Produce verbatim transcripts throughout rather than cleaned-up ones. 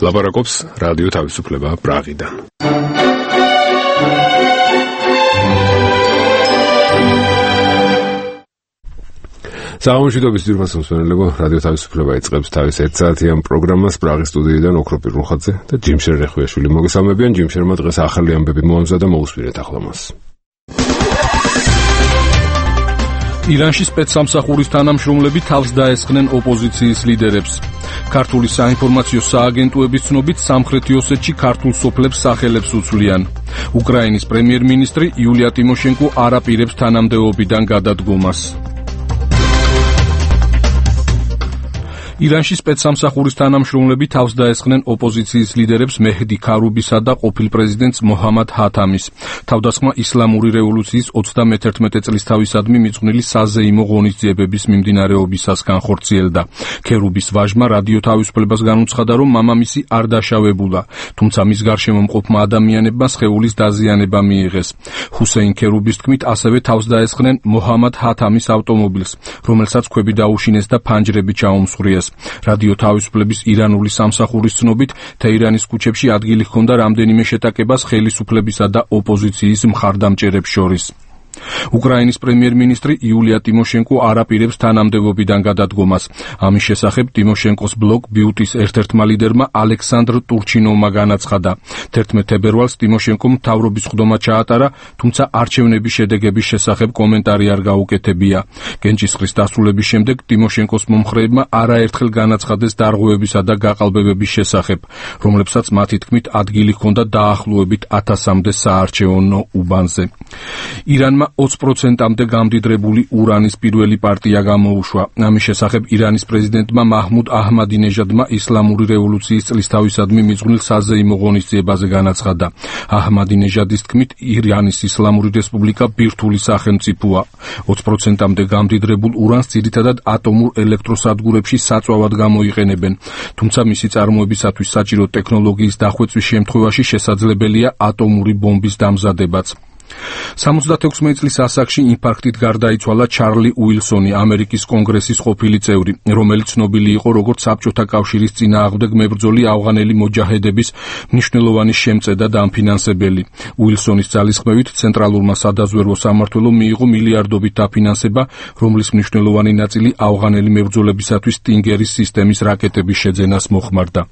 ლაპარაკობს რადიო თავისუფლება პრაღიდან. საამშვიდობის ძირფას მსმენელებო, რადიო თავისუფლება იწყებს თავის ერთსაათიან პროგრამას პრაღის სტუდიიდან ოქრო პირუნხაძე და ჯიმშერ რეხვიაშვილი მოგესალმებიან. ჯიმშერმა დღეს ახალი ამბები მოამზადა, მოусვირეთ ახლა მას. ირანში სპეცსამსახურის თანამშრომლები თავს დაესხნენ ოპოზიციის ლიდერებს. ქართული საინფორმაციო სააგენტოების ცნობით სამხრეთი ოსეთში ქართულ სოფლებს სახელებს უცვლიან. უკრაინის პრემიერ-მინისტრი იულია ტიმოშენკო არ აპირებს თანამდებობიდან გადადგომას. ირანში სპეცსამსახურის თანამშრომლები თავს დაესხნენ ოპოზიციის ლიდერებს მეჰდი ქარუბისა და ყოფილ პრეზიდენტს მოჰამად ჰათამის. თავდასხმა ისლამური რევოლუციის ოცდამეთერთმეტე წლისთავისადმი მიძღვნილი საზეიმო ღონისძიებების მიმდინარეობისას განხორციელდა. ქერუბის ვაჟმა რადიო თავისუფლებას განუცხადა, რომ მამამისი არ დაშავებულა, თუმცა მის გარშემო მყოფმა ადამიანებმა სხეულის დაზიანება მიიღეს. ჰუსეინ ქერუბის თქმით, ასევე თავს დაესხნენ მოჰამად ჰათამის ავტომობილს, რომელსაც ქვები დაუშინეს და ფანჯრები ჩაუმსხვრიეს. რადიო თავისუფლების ირანული სამსახურის ცნობით, თეირანის ქუჩებში ადგილი ჰქონდა რამდენიმე შეტაკებას ხელისუფლებისა და ოპოზიციის მხარდამჭერებს შორის. უკრაინის პრემიერ-მინისტრი იულია ტიმოშენკო არ აპირებს თანამდებობიდან გადადგომას. ამის შესახებ ტიმოშენკოს ბლოგ ბიუტის ერთ-ერთმა ლიდერმა ალექსანდრ ტურჩინოვმა განაცხადა. თერთმეტ თებერვალს ტიმოშენკომ მთავრობის ხდომა ჩაატარა, თუმცა არჩევნების შედეგების შესახებ კომენტარი არ გაუკეთებია. გენჭისყრის დასრულების შემდეგ ტიმოშენკოს მომხრეებმა არაერთხელ განაცხადეს დარღვევებისა და გაყალბებების შესახებ, რომლებსაც მათი თქმით ადგილი ჰქონდა დაახლოებით ათასამდე საარჩევნო უბანზე. ირანმა ოცი პროცენტამდე გამდიდრებული ურანის პირველი პარტია გამოუშვა. ამის შესახებ ირანის პრეზიდენტმა მაჰმუდ აჰმადინეჟადმა ისლამური რევოლუციის წლისთავისადმი მიძღვნილ საზეიმო ღონისძიებაზე განაცხადა. აჰმადინეჟადის თქმით, ირანის ისლამური რესპუბლიკა ბირთვული სახელმწიფოა. ოცი პროცენტამდე გამდიდრებულ ურანს ძირითადად ატომურ ელექტროსადგურებში საწვავად გამოიყენებენ, თუმცა მისი წარმოებისათვის საჭირო ტექნოლოგიის დახვეწვის შემთხვევაში შესაძლებელია ატომური ბომბის დამზადებაც. სამოცდაექვსი წლის ასაკში ინფარქტით გარდაიცვალა ჩარლი უილსონი, ამერიკის კონგრესის ყოფილი წევრი, რომელიც ცნობილი იყო როგორც საბჭოთა კავშირის წინააღმდეგ მებრძოლი ავღანელი მოჯაჰედების მნიშვნელოვანი შემწე და ამფინანსებელი. უილსონის ძალისხმევით ცენტრალურმა სადაზვერვო სამმართველომ მიიღო მილიარდობით დაფინანსება, რომლის მნიშვნელოვანი ნაწილი ავღანელი მებრძოლებისათვის სტინგერის სისტემის რაკეტების შეძენას მოხმარდა.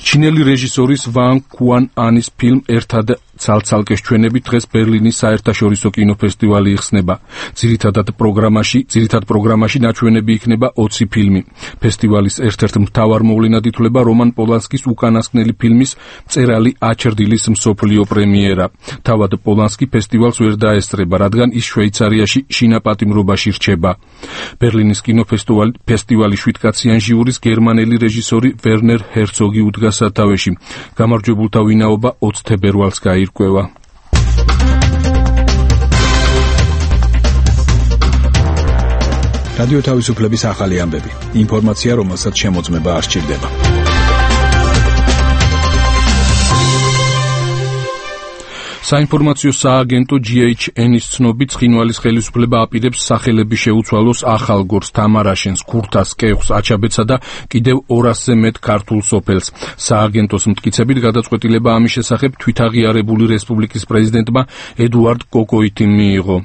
ჩინელი რეჟისორის ვან კუან ანის ფილმ ერთად ცალ-ცალკეს ჩვენები დღეს ბერლინის საერთაშორისო კინოფესტივალი იხსნება. ძირითადად პროგრამაში, ძირითად პროგრამაში ნაჩვენები იქნება ოცი ფილმი. ფესტივალის ერთ-ერთ მთავარ მოვლენად ითვლება რომან პოლანსკის უკანასკნელი ფილმის მწერალი აჩრდილის მსოფლიო პრემიერა. თავად პოლანსკი ფესტივალს ვერ დაესწრება, რადგან ის შვეიცარიაში შინაპატიმრობაში რჩება. ბერლინის კინოფესტივალი ფესტივალის შვიდკაციან ჟიურის გერმანელი რეჟისორი ვერნერ ჰერცოგი უდგა სათავეში. გამარჯვებულთა ვინაობა ოცი თებერვალს გაირკვევა. რადიო თავისუფლების ახალი ამბები. ინფორმაცია, რომელსაც შემოწმება არ სჭირდება. საინფორმაციო სააგენტო ჯი ეიჩ ენ-ის ცნობით, ცხინვალის ხელისუფლება აპირებს სახელები შეუცვალოს ახალგორს, თამარაშენს, ქურთას, კეღს, აჩაბეცსა და კიდევ ორასზე მეტ ქართულ სოფელს. სააგენტოს მტკიცებით, გადაწყვეტილება ამის შესახებ თვითაღიარებული რესპუბლიკის პრეზიდენტმა ედუარდ კოკოითიმ მიიღო.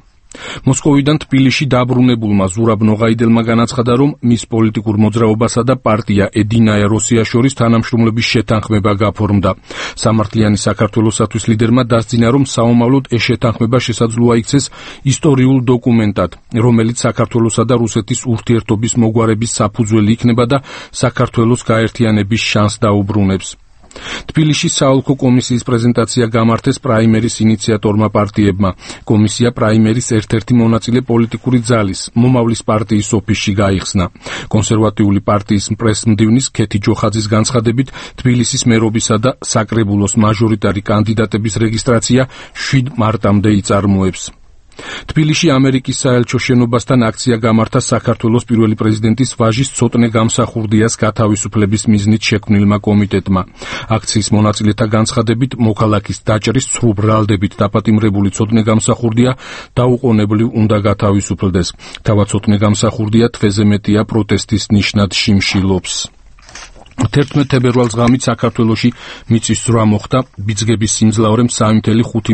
მოსკოვიდან თბილისში დაბრუნებულმა ზურაბ ნოღაიდელმა განაცხადა, რომ მის პოლიტიკურ მოძრაობასა და პარტია ედინაია როსია შორის თანამშრომლობის შეთანხმება გაფორმდა. სამართლიანი საქართველოსათვის ლიდერმა დასძინა, რომ საომავლოდ ეს შეთანხმება შესაძლოა იქცეს ისტორიულ დოკუმენტად, რომელიც საქართველოსა და რუსეთის ურთიერთობის მოგვარების საფუძველი იქნება და საქართველოს გაერთიანების შანსს დაუბრუნებს. თბილისში საოლქო კომისიის პრეზენტაცია გამართეს პრაიმერის ინიციატორმა პარტიებმა. კომისია პრაიმერის ერთ-ერთი მონაწილე პოლიტიკური ძალის, მომავლის პარტიის ოფისში გაიხსნა. კონსერვატიული პარტიის პრესმდივნის ქეთი ჯოხაძის განცხადებით, თბილისის მერობისა და საკრებულოს მაჟორიტარი კანდიდატების რეგისტრაცია შვიდ მარტამდე იწარმოებს. თბილისში ამერიკის საელჩო შენობასთან აქცია გამართა საქართველოს პირველი პრეზიდენტის ვაჟის ცოტნე გამსახურდიას გათავისუფლების მიზნით შექმნილმა კომიტეტმა. აქციის მონაწილეთა განცხადებით, მოქალაქის დაჭრის ცრუ ბრალდებით დაპატიმრებული ცოტნე გამსახურდია დაუყოვნებლივ უნდა გათავისუფლდეს. თავად ცოტნე გამსახურდია თვეზე მეტია პროტესტის ნიშნად შიმშილობს. თერთმეტ თებერვალს ღამით საქართველოში მიწისძვრა მოხდა, ბიძგების სიმძლავრემ სამი კoma ხუთი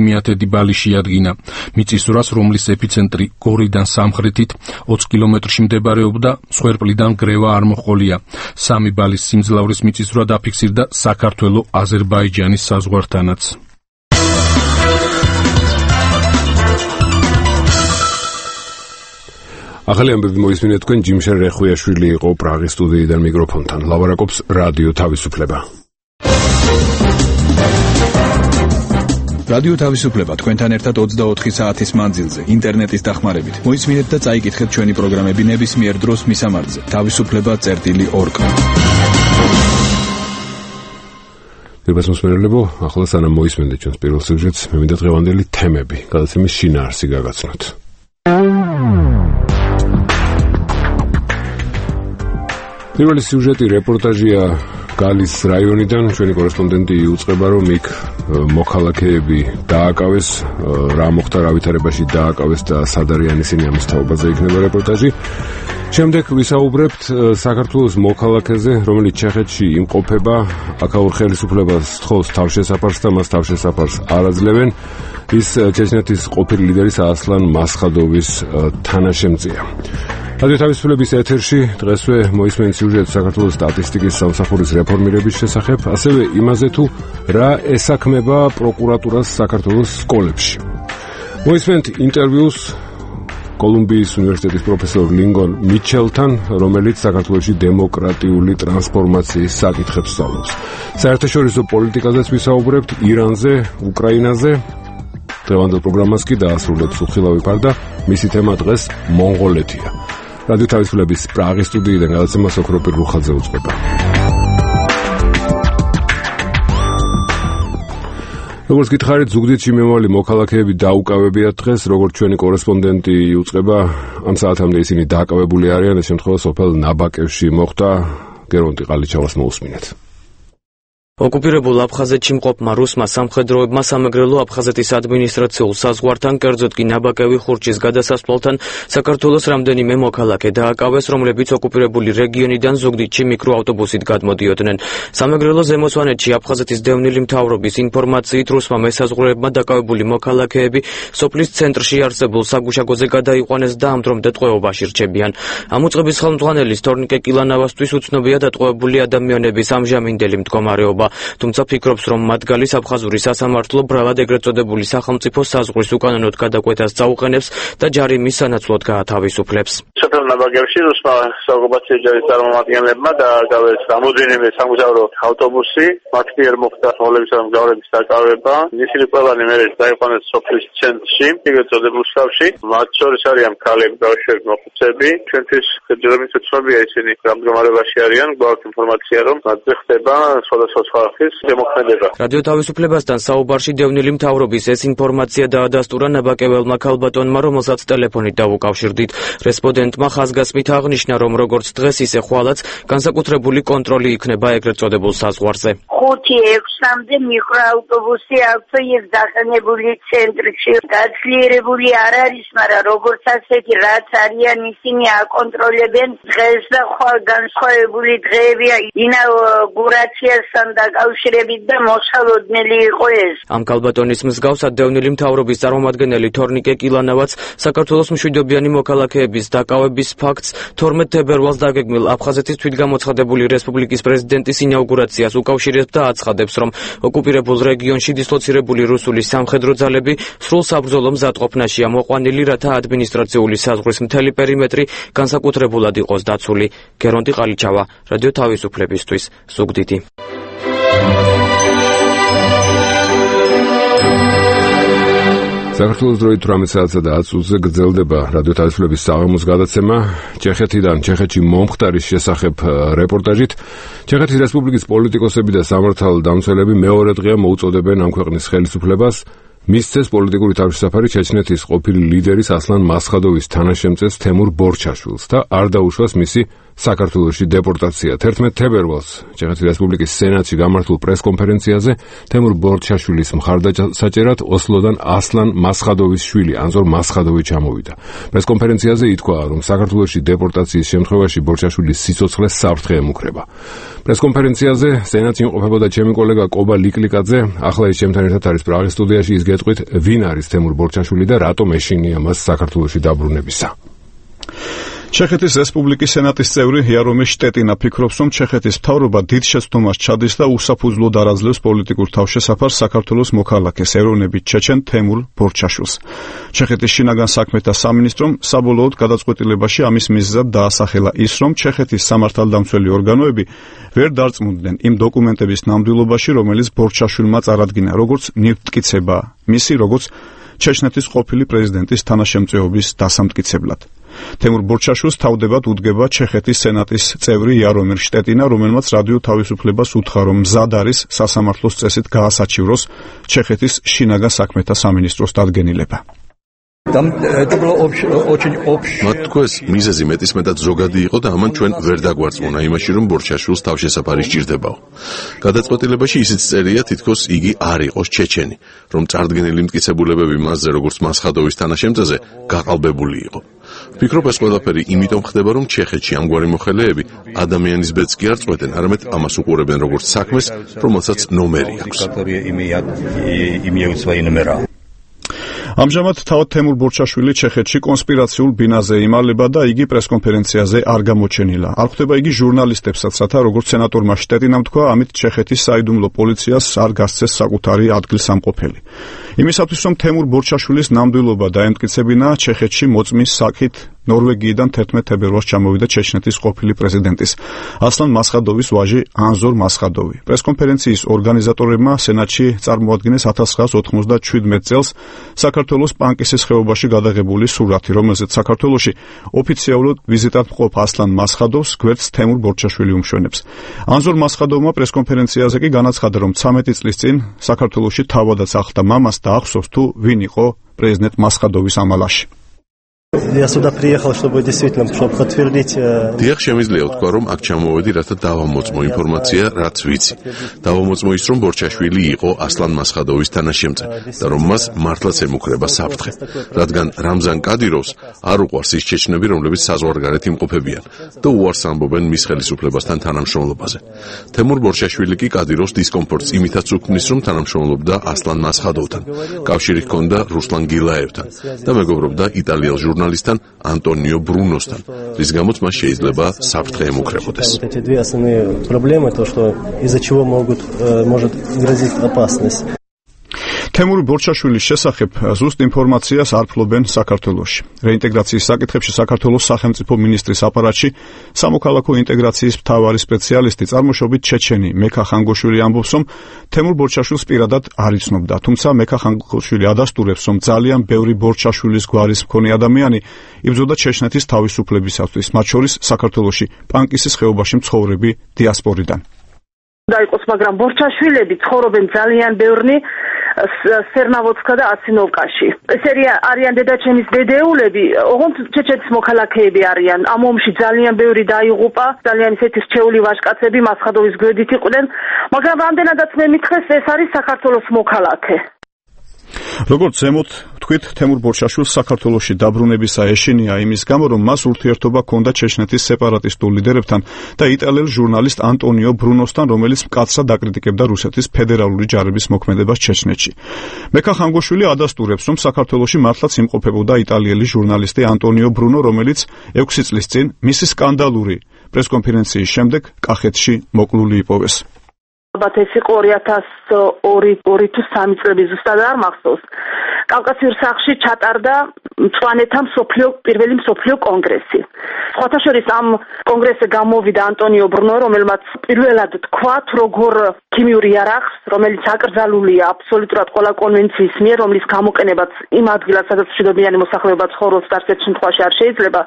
ბალი შეადგინა. მიწისძვრას, რომლის ეპიცენტრი გორიდან სამხრეთით ოცი კილომეტრში მდებარეობდა, მსხვერპლიდან გრევა არ მოჰყოლია. სამი ბალის სიმძლავრის მიწისძვრა დაფიქსირდა საქართველო-აზერბაიჯანის საზღვართანაც. ახალი ამბები მოისმინეთ თქვენ, ჯიმშენ რეხვიაშვილი იყო პრაღის სტუდიიდან მიკროფონთან. ლაპარაკობს რადიო თავისუფლება. რადიო თავისუფლება თქვენთან ერთად ოცდაოთხი საათის მანძილზე, ინტერნეტის დახმარებით. მოისმინეთ და წაიკითხეთ ჩვენი პროგრამები ნებისმიერ დროს მისამართზე. თავისუფლება წერტილი ორ. პირბას მოსმენელებო, ახლა სანამ მოისმენთ ჩვენს პირველ სიუჟეტს, მე მინდა დღევანდელი თემები, გადაცემის შინაარსი გაგაცნოთ. პირველი სიუჟეტი რეპორტაჟია გალის რაიონიდან. ჩვენი კორესპონდენტი იუწყება, რომ იქ მოქალაქეები დააკავეს, რა მოხდა, რა ვითარებაში დააკავეს და სად არიან ისინი, ამის თაობაზე იქნება რეპორტაჟი. შემდეგ ვისაუბრებთ საქართველოს მოქალაქეზე, რომელიც ჩეხეთში იმყოფება, აქაურ ხელისუფლებას სთხოვს თავშესაფარს და მას თავშესაფარს არ აძლევენ. ის ჩეჩნეთის ყოფილი ლიდერის ასლან მასხადოვის თანაშემწეა. რადიო თავისუფლების ეთერში დღესვე მოისმენთ სიუჟეტს საქართველოს სტატისტიკის სამსახურის რეფორმირების შესახებ, ასევე იმაზე თუ რა ესაქმება პროკურატურას საქართველოს სკოლებში. მოისმენთ ინტერვიუს კოლუმბიის უნივერსიტეტის პროფესორ ლინგონ მიჩელთან, რომელიც საქართველოში დემოკრატიული ტრანსფორმაციის საკითხებს სწავლობს. საერთაშორისო პოლიტიკაზეც ვისაუბრებთ, ირანზე, უკრაინაზე. დღევანდელ პროგრამას კი დაასრულებს უხილავი ფარდა, მისი თემა დღეს მონღოლეთია. რადიო თავისუფლების პრაღის სტუდიიდან გადაცემა ოქროპირ რუხაძე უწყება. როგორც გითხარით, ზუგდიდში მემავალი მოქალაქეები დაუკავებიათ დღეს, როგორც ჩვენი კორესპონდენტი იუწყება, ამ საათამდე ისინი დააკავებული არიან, ეს შემთხვევა სოფელ ნაბაკევში მოხდა. გერონტი ყალიჩავას მოусმინეთ. ოკუპირებულ აფხაზეთში მყოფმა რუსმა სამხედროებმა სამეგრელო აფხაზეთის ადმინისტრაციულ საზღვართან, კერძოდ კი ნაბაკევი ხურჩის გადასასვლელთან საქართველოს რამდენიმე მოქალაქე დააკავეს, რომლებიც ოკუპირებული რეგიონიდან ზუგდიდში მიკროავტობუსით გადმოდიოდნენ. სამეგრელო ზემოსვანეთში აფხაზეთის დევნილი მთავრობის ინფორმაციით, რუსმა მესაზღვრეებმა დაკავებული მოქალაქეები სოფლის ცენტრში არსებულ საგუშაგოზე გადაიყვანეს და ამ დრომდე ტყვეობაში რჩებიან. ამ უწყების ხელმძღვანელის თორნიკე კილანავასთვის უცნობია დატყვევებული ადამიანების ამჟამინდელი მდგომარეობა. თუმცა ფიქრობს, რომ მათ გალის აფხაზური სასამართლო ბრალად ეგრეთ წოდებული სახელმწიფო საზღვრის უკანონოდ გადაკვეთას წაუყენებს და ჯარიმის სანაცვლოდ გაათავისუფლებს. სოფელ ნაბაგევში რუსმა საოკუპაციო ჯარის წარმომადგენლებმა დააკავეს რამოდენიმე სამგზავრო ავტობუსი, მათ მიერ მოხდა მოლებისა მგზავრების დაკავება. ისინი ყველანი მერე დაიყვანეს სოფლის ცენტრში, ეგრეთ წოდებულ სკავში. მათ შორის არიან ქალები, ბავშვები, მოხუცები. ჩვენთვის ჯერჯერობით უცნობია ისინი რა მდგომარეობაში არიან. გვაქვს ინფორმაცია, რომ მათზე ხდება სხვადასხვა რადიო თავისუფლებასთან საუბარში დევნილი მთავრობის ეს ინფორმაცია დაადასტურა ნაბაკეველმა ქალბატონმა, რომელსაც ტელეფონით დაუკავშირდით. რესპონდენტმა ხაზგასმით აღნიშნა, რომ როგორც დღეს, ისე ხვალაც განსაკუთრებული კონტროლი იქნება ეგრეთ წოდებულ საზღვარზე. ხუთი ექვსამდე მიკროავტობუსი აქვს ის დაყენებული ცენტრში. გაძლიერებული არ არის, მაგრამ როგორც ასეთი რაც არიან ისინი აკონტროლებენ დღეს და ხვალ განსხვავებული დღეებია ინაუგურაციასთან დაკავშირებით და მოსალოდნელი იყო ეს. ამ ქალბატონის მსგავსად დევნილი მთავრობის წარმომადგენელი თორნიკე კილანავაც საქართველოს მშვიდობიანი მოქალაქეების დაკავების ფაქტს თორმეტ თებერვალს დაგეგმილ აფხაზეთის თვითგამოცხადებული რესპუბლიკის პრეზიდენტის ინაუგურაციას უკავშირებს და აცხადებს, რომ ოკუპირებულ რეგიონში დისლოცირებული რუსული სამხედრო ძალები სრულ საბრძოლო მზადყოფნაშია მოყვანილი, რათა ადმინისტრაციული საზღვრის მთელი პერიმეტრი განსაკუთრებულად იყოს დაცული. გერონტი ყალიჩავა, რადიო თავისუფლებისთვის, ზუგდიდი. საქართველოს დროით ორმოცი საათსა და ათი წუთზე გრძელდება რადიო თავისუფლების საღამოს გადაცემა ჩეხეთიდან, ჩეხეთში მომხდარის შესახებ რეპორტაჟით. ჩეხეთის რესპუბლიკის პოლიტიკოსები და სამართალდამცველები მეორე დღეა მოუწოდებენ ამ ქვეყნის ხელისუფლებას მისცეს პოლიტიკური თავშესაფარი ჩეჩნეთის ყოფილი ლიდერის ასლან მასხადოვის თანაშემწეს თემურ ბორჩაშვილს და არ დაუშვას მისი საქართველოში დეპორტაცია. თერთმეტ თებერვალს ჩეხეთის რესპუბლიკის სენატში გამართულ პრესკონფერენციაზე თემურ ბორჩაშვილის მხარდასაჭერად ოსლოდან ასლან მასხადოვის შვილი ანზორ მასხადოვი ჩამოვიდა. პრესკონფერენციაზე ითქვა, რომ საქართველოში დეპორტაციის შემთხვევაში ბორჩაშვილის სიცოცხლე საფრთხე ემუქრება. პრესკონფერენციაზე სენატში იმყოფებოდა ჩემი კოლეგა კობა ლიკლიკაძე. ახლა ის ჩემთან ერთად არის პრაღის სტუდიაში. ის გეტყვით, ვინ არის თემურ ბორჩაშვილი და რატომ ეშინია მას საქართველოში დაბრუნებისა. ჩეხეთის რესპუბლიკის სენატის წევრი იარომირ შტეტინა ფიქრობს, რომ ჩეხეთის მთავრობა დიდ შეცდომას ჩადის და უსაფუძვლოდ არ აძლევს პოლიტიკურ თავშესაფარს საქართველოს მოქალაქეს ეროვნებით ჩეჩენ თემურ ბორჩაშვილს. ჩეხეთის შინაგან საქმეთა სამინისტრომ საბოლოოდ გადაწყვეტილებაში ამის მიზეზად დაასახელა ის, რომ ჩეხეთის სამართალდამცველი ორგანოები ვერ დარწმუნდნენ იმ დოკუმენტების ნამდვილობაში, რომელიც ბორჩაშვილმა წარადგინა, როგორც ნივთმტკიცება მისი, როგორც ჩეჩნეთის ყოფილი პრეზიდენტის თანაშემწეობის დასამტკიცებლად. თემურ ბორჩაშვილს თავდებად უდგება ჩეხეთის სენატის წევრი იარომირ შტეტინა, რომელმაც რადიო თავისუფლებას უთხრა, რომ მზად არის სასამართლოს წესით გაასაჩივროს ჩეხეთის შინაგან საქმეთა სამინისტროს დადგენილება. მათ თქვეს, მიზეზი მეტისმეტად ზოგადი იყო და ამან ჩვენ ვერ დაგვარწმუნა იმაში, რომ ბორჩაშვილს თავშესაფარი სჭირდებაო. გადაწყვეტილებაში ისიც წერია, თითქოს იგი არ იყოს ჩეჩენი, რომ წარდგენილი მტკიცებულებები მასზე, როგორც მასხადოვის თანაშემწეზე, გაყალბებული იყო. ვფიქრობ, ეს ყველაფერი იმიტომ ხდება, რომ ჩეხეთში ამგვარი მოხელეები ადამიანის ბედს კი არ წყვეტენ, არამედ ამას უყურებენ როგორც საქმეს, რომელსაც ნომერი აქვს. ამჟამად თავად თემურ ბორჩაშვილი ჩეხეთში კონსპირაციულ ბინაზე იმალება და იგი პრესკონფერენციაზე არ გამოჩენილა. არ ხვდება იგი ჟურნალისტებსაც, რათა როგორც სენატორმა შტეტინამ თქვა, ამით ჩეხეთის საიდუმლო პოლიციას არ გასცეს საკუთარი ადგილსამყოფელი. იმისათვის, რომ თემურ ბორჩაშვილის ნამდვილობა დაემტკიცებინა, ჩეხეთში მოწმის საკით ნორვეგიიდან თერთმეტ თებერვალს ჩამოვიდა ჩეჩნეთის ყოფილი პრეზიდენტის ასლან მასხადოვის ვაჟი ანზორ მასხადოვი. პრესკონფერენციის ორგანიზატორებმა სენატში წარმოადგინეს ათას ცხრაას ოცდაშვიდმეტ წელს საქართველოს პანკისის ხეობაში გადაღებული სურათი, რომელზეც საქართველოში ოფიციალურად ვიზიტად მყოფ ასლან მასხადოვს გვერდს თემურ ბორჩაშვილი უმშვენებს. ანზორ მასხადოვმა პრესკონფერენციაზე კი განაცხადა, რომ ცამეტი წლის წინ საქართველოში თავადაც ახლდა მამას და ახსოვს თუ ვინ იყო პრეზიდენტ მასხადოვის ამალაში. Я сюда приехал, чтобы действительно, чтобы подтвердить. Დიახ, შემიძლია ვთქვა, რომ აქ ჩამოვედი, რათა დავამოწმო ინფორმაცია, რაც ვიცი. დავამოწმო ის, რომ ბორჩაშვილი იყო ასლან მასხადოვის თანაშემწე და რომ მას მართლაც ემუქრება საფრთხე, რადგან რამზან კადიროვს არ უყვარს ის ჩეჩნები, რომლებიც საზღვარგარეთ იმყოფებიან და უარს ამბობენ მის ხელისუფლებასთან თანამშრომლობაზე. თემურ ბორჩაშვილი კი კადიროვს დისკომფორტს იმითაც უქმნის, რომ თანამშრომლობდა ასლან მასხადოვთან, კავშირი ჰქონდა რუსლან გილაევთან და მეგობრობდა იტალიელ ჟურნალისტთან ანტონიო ბრუნოსთან, რის გამოც მას შეიძლება საფრთხე ემუქრებოდეს. თემურ ბორჩაშვილის შესახებ ზუსტ ინფორმაციას არ ფლობენ საქართველოში. რეინტეგრაციის საკითხებში საქართველოს სახელმწიფო მინისტრის აპარატში სამოქალაქო ინტეგრაციის მთავარი სპეციალისტი წარმოშობით ჩეჩენი მექა ხანგოშვილი ამბობს, რომ თემურ ბორჩაშვილს პირადად არ იცნობდა, თუმცა მექა ხანგოშვილი ადასტურებს, რომ ძალიან ბევრი ბორჩაშვილის გვარის მქონე ადამიანი იბრძოდა ჩეჩნეთის თავისუფლებისათვის, მათ შორის საქართველოში პანკისის ხეობაში მცხოვრები დიასპორიდან. დაიყოს, მაგრამ ბორჩაშვილები ცხოვრობენ ძალიან ბევრნი სერნავოცკა და ასინოვკაში. ეს არიან დედაჩემის დედეულები, ოღონდ ჩეჩეთის მოქალაქეები არიან. ამ ომში ძალიან ბევრი დაიღუპა, ძალიან ისეთი რჩეული ვაჟკაცები მასხადოვის გვერდით იყვნენ, მაგრამ რამდენადაც მე მითხრეს, ეს არის საქართველოს მოქალაქე. როგორც ზემოთ თქვით, თემურ ბორჩაშვილს საქართველოში დაბრუნებისა ეშინია იმის გამო, რომ მას ურთიერთობა ჰქონდა ჩეჩნეთის სეპარატისტულ ლიდერებთან და იტალიელ ჟურნალისტ ანტონიო ბრუნოსთან, რომელიც მკაცრად აკრიტიკებდა რუსეთის ფედერალური ჯარების მოქმედებას ჩეჩნეთში. მექა ხანგოშვილი ადასტურებს, რომ საქართველოში მართლაც იმყოფებოდა იტალიელი ჟურნალისტი ანტონიო ბრუნო, რომელიც ექვსი წლის წინ მისი სკანდალური პრესკონფერენციის შემდეგ კახეთში მოკლული იპოვეს. ალბათ ეს იყო ორი ათას ორი თუ სამი წლები, ზუსტად არ მახსოვს. კავკასიურ სახლში ჩატარდა მწვანეთა მსოფლიო პირველი მსოფლიო კონგრესი. სხვათა შორის ამ კონგრესზე გამოვიდა ანტონიო ბრუნო, რომელმაც პირველად თქვა, როგორ ქიმიურ იარაღს, რომელიც აკრძალულია აბსოლუტურად ყველა კონვენციის მიერ, რომლის გამოყენებაც იმ ადგილას, სადაც მშვიდობიანი მოსახლეობა ცხოვრობს, არც შემთხვევაში არ შეიძლება,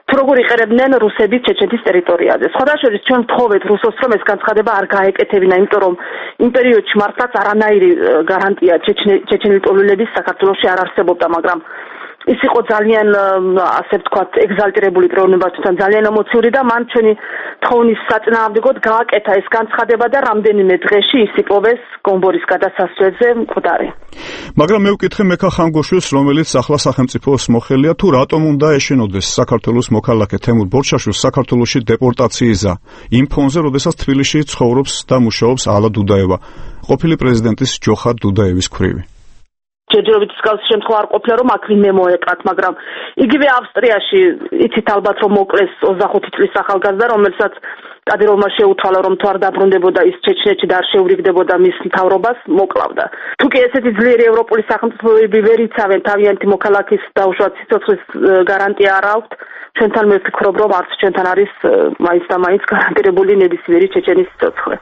თუ როგორ იყერებდნენ რუსები ჩეჩეთის ტერიტორიაზე. სხვათა შორის ჩვენ ვთხოვეთ რუსოს, რომ ეს განცხადება არ გაეკეთებინა, იმიტომ რომ იმ პერიოდში მართლაც არანაირი გარანტია ჩეჩენელი ტოლულების საქართველოში არ არსებობდა, მაგრამ ის იყო ძალიან ასე ვთქვათ ეგზალტირებული პიროვნებასთან, ძალიან ემოციური და მან ჩვენი თხოვნის საწინააღმდეგოდ გააკეთა ეს განცხადება და რამდენიმე დღეში ის იპოვეს გომბორის გადასასვლელზე მკვდარი. მაგრამ მე ვკითხე მექა ხანგოშვილს, რომელიც ახლა სახელმწიფოს მოხელია, თუ რატომ უნდა ეშინოდეს საქართველოს მოქალაქე თემურ ბორჩაშვილს საქართველოში დეპორტაციისა იმ ფონზე, როდესაც თბილისში ცხოვრობს და მუშაობს ალა დუდაევა, ყოფილი პრეზიდენტის ჯოხარ დუდაევის ქვრივი. ჯერჯერობით მსგავსი შემთხვევა არ ყოფილა, რომ აქ ვინმე მოეკრათ, მაგრამ იგივე ავსტრიაში იცით ალბათ, რომ მოკლეს ოცდახუთი წლის ახალგაზრდა, რომელსაც კადიროვმა შეუთვალა, რომ თუ არ დაბრუნდებოდა ის ჩეჩნეთში და არ შეურიგდებოდა მის მთავრობას, მოკლავდა. თუ კი ესეთი ძლიერი ევროპული სახელმწიფოები ვერ იცავენ თავიანთი მოქალაქის დაუშვათ სიცოცხლის გარანტია არ აქვთ, ჩვენთან მე ვფიქრობ, რომ არც ჩვენთან არის მაინც და მაინც გარანტირებული ნებისმიერი ჩეჩენის სიცოცხლე.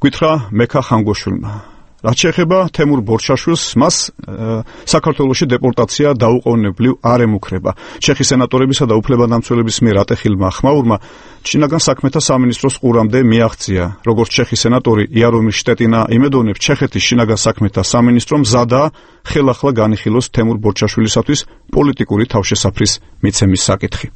გითხრა მექა ხანგოშვილმა. რაც შეეხება თემურ ბორჩაშვილს, მას საქართველოში დეპორტაცია დაუყოვნებლივ არ ემუქრება. ჩეხი სენატორებისა და უფლებადამცველების მიერ ატეხილმა ხმაურმა შინაგან საქმეთა სამინისტროს ყურამდე მიაღწია. როგორც ჩეხი სენატორი იარომირ შტეტინა იმედოვნებს, ჩეხეთის შინაგან საქმეთა სამინისტრო მზადაა ხელახლა განიხილოს თემურ ბორჩაშვილისათვის პოლიტიკური თავშესაფრის მიცემის საკითხი.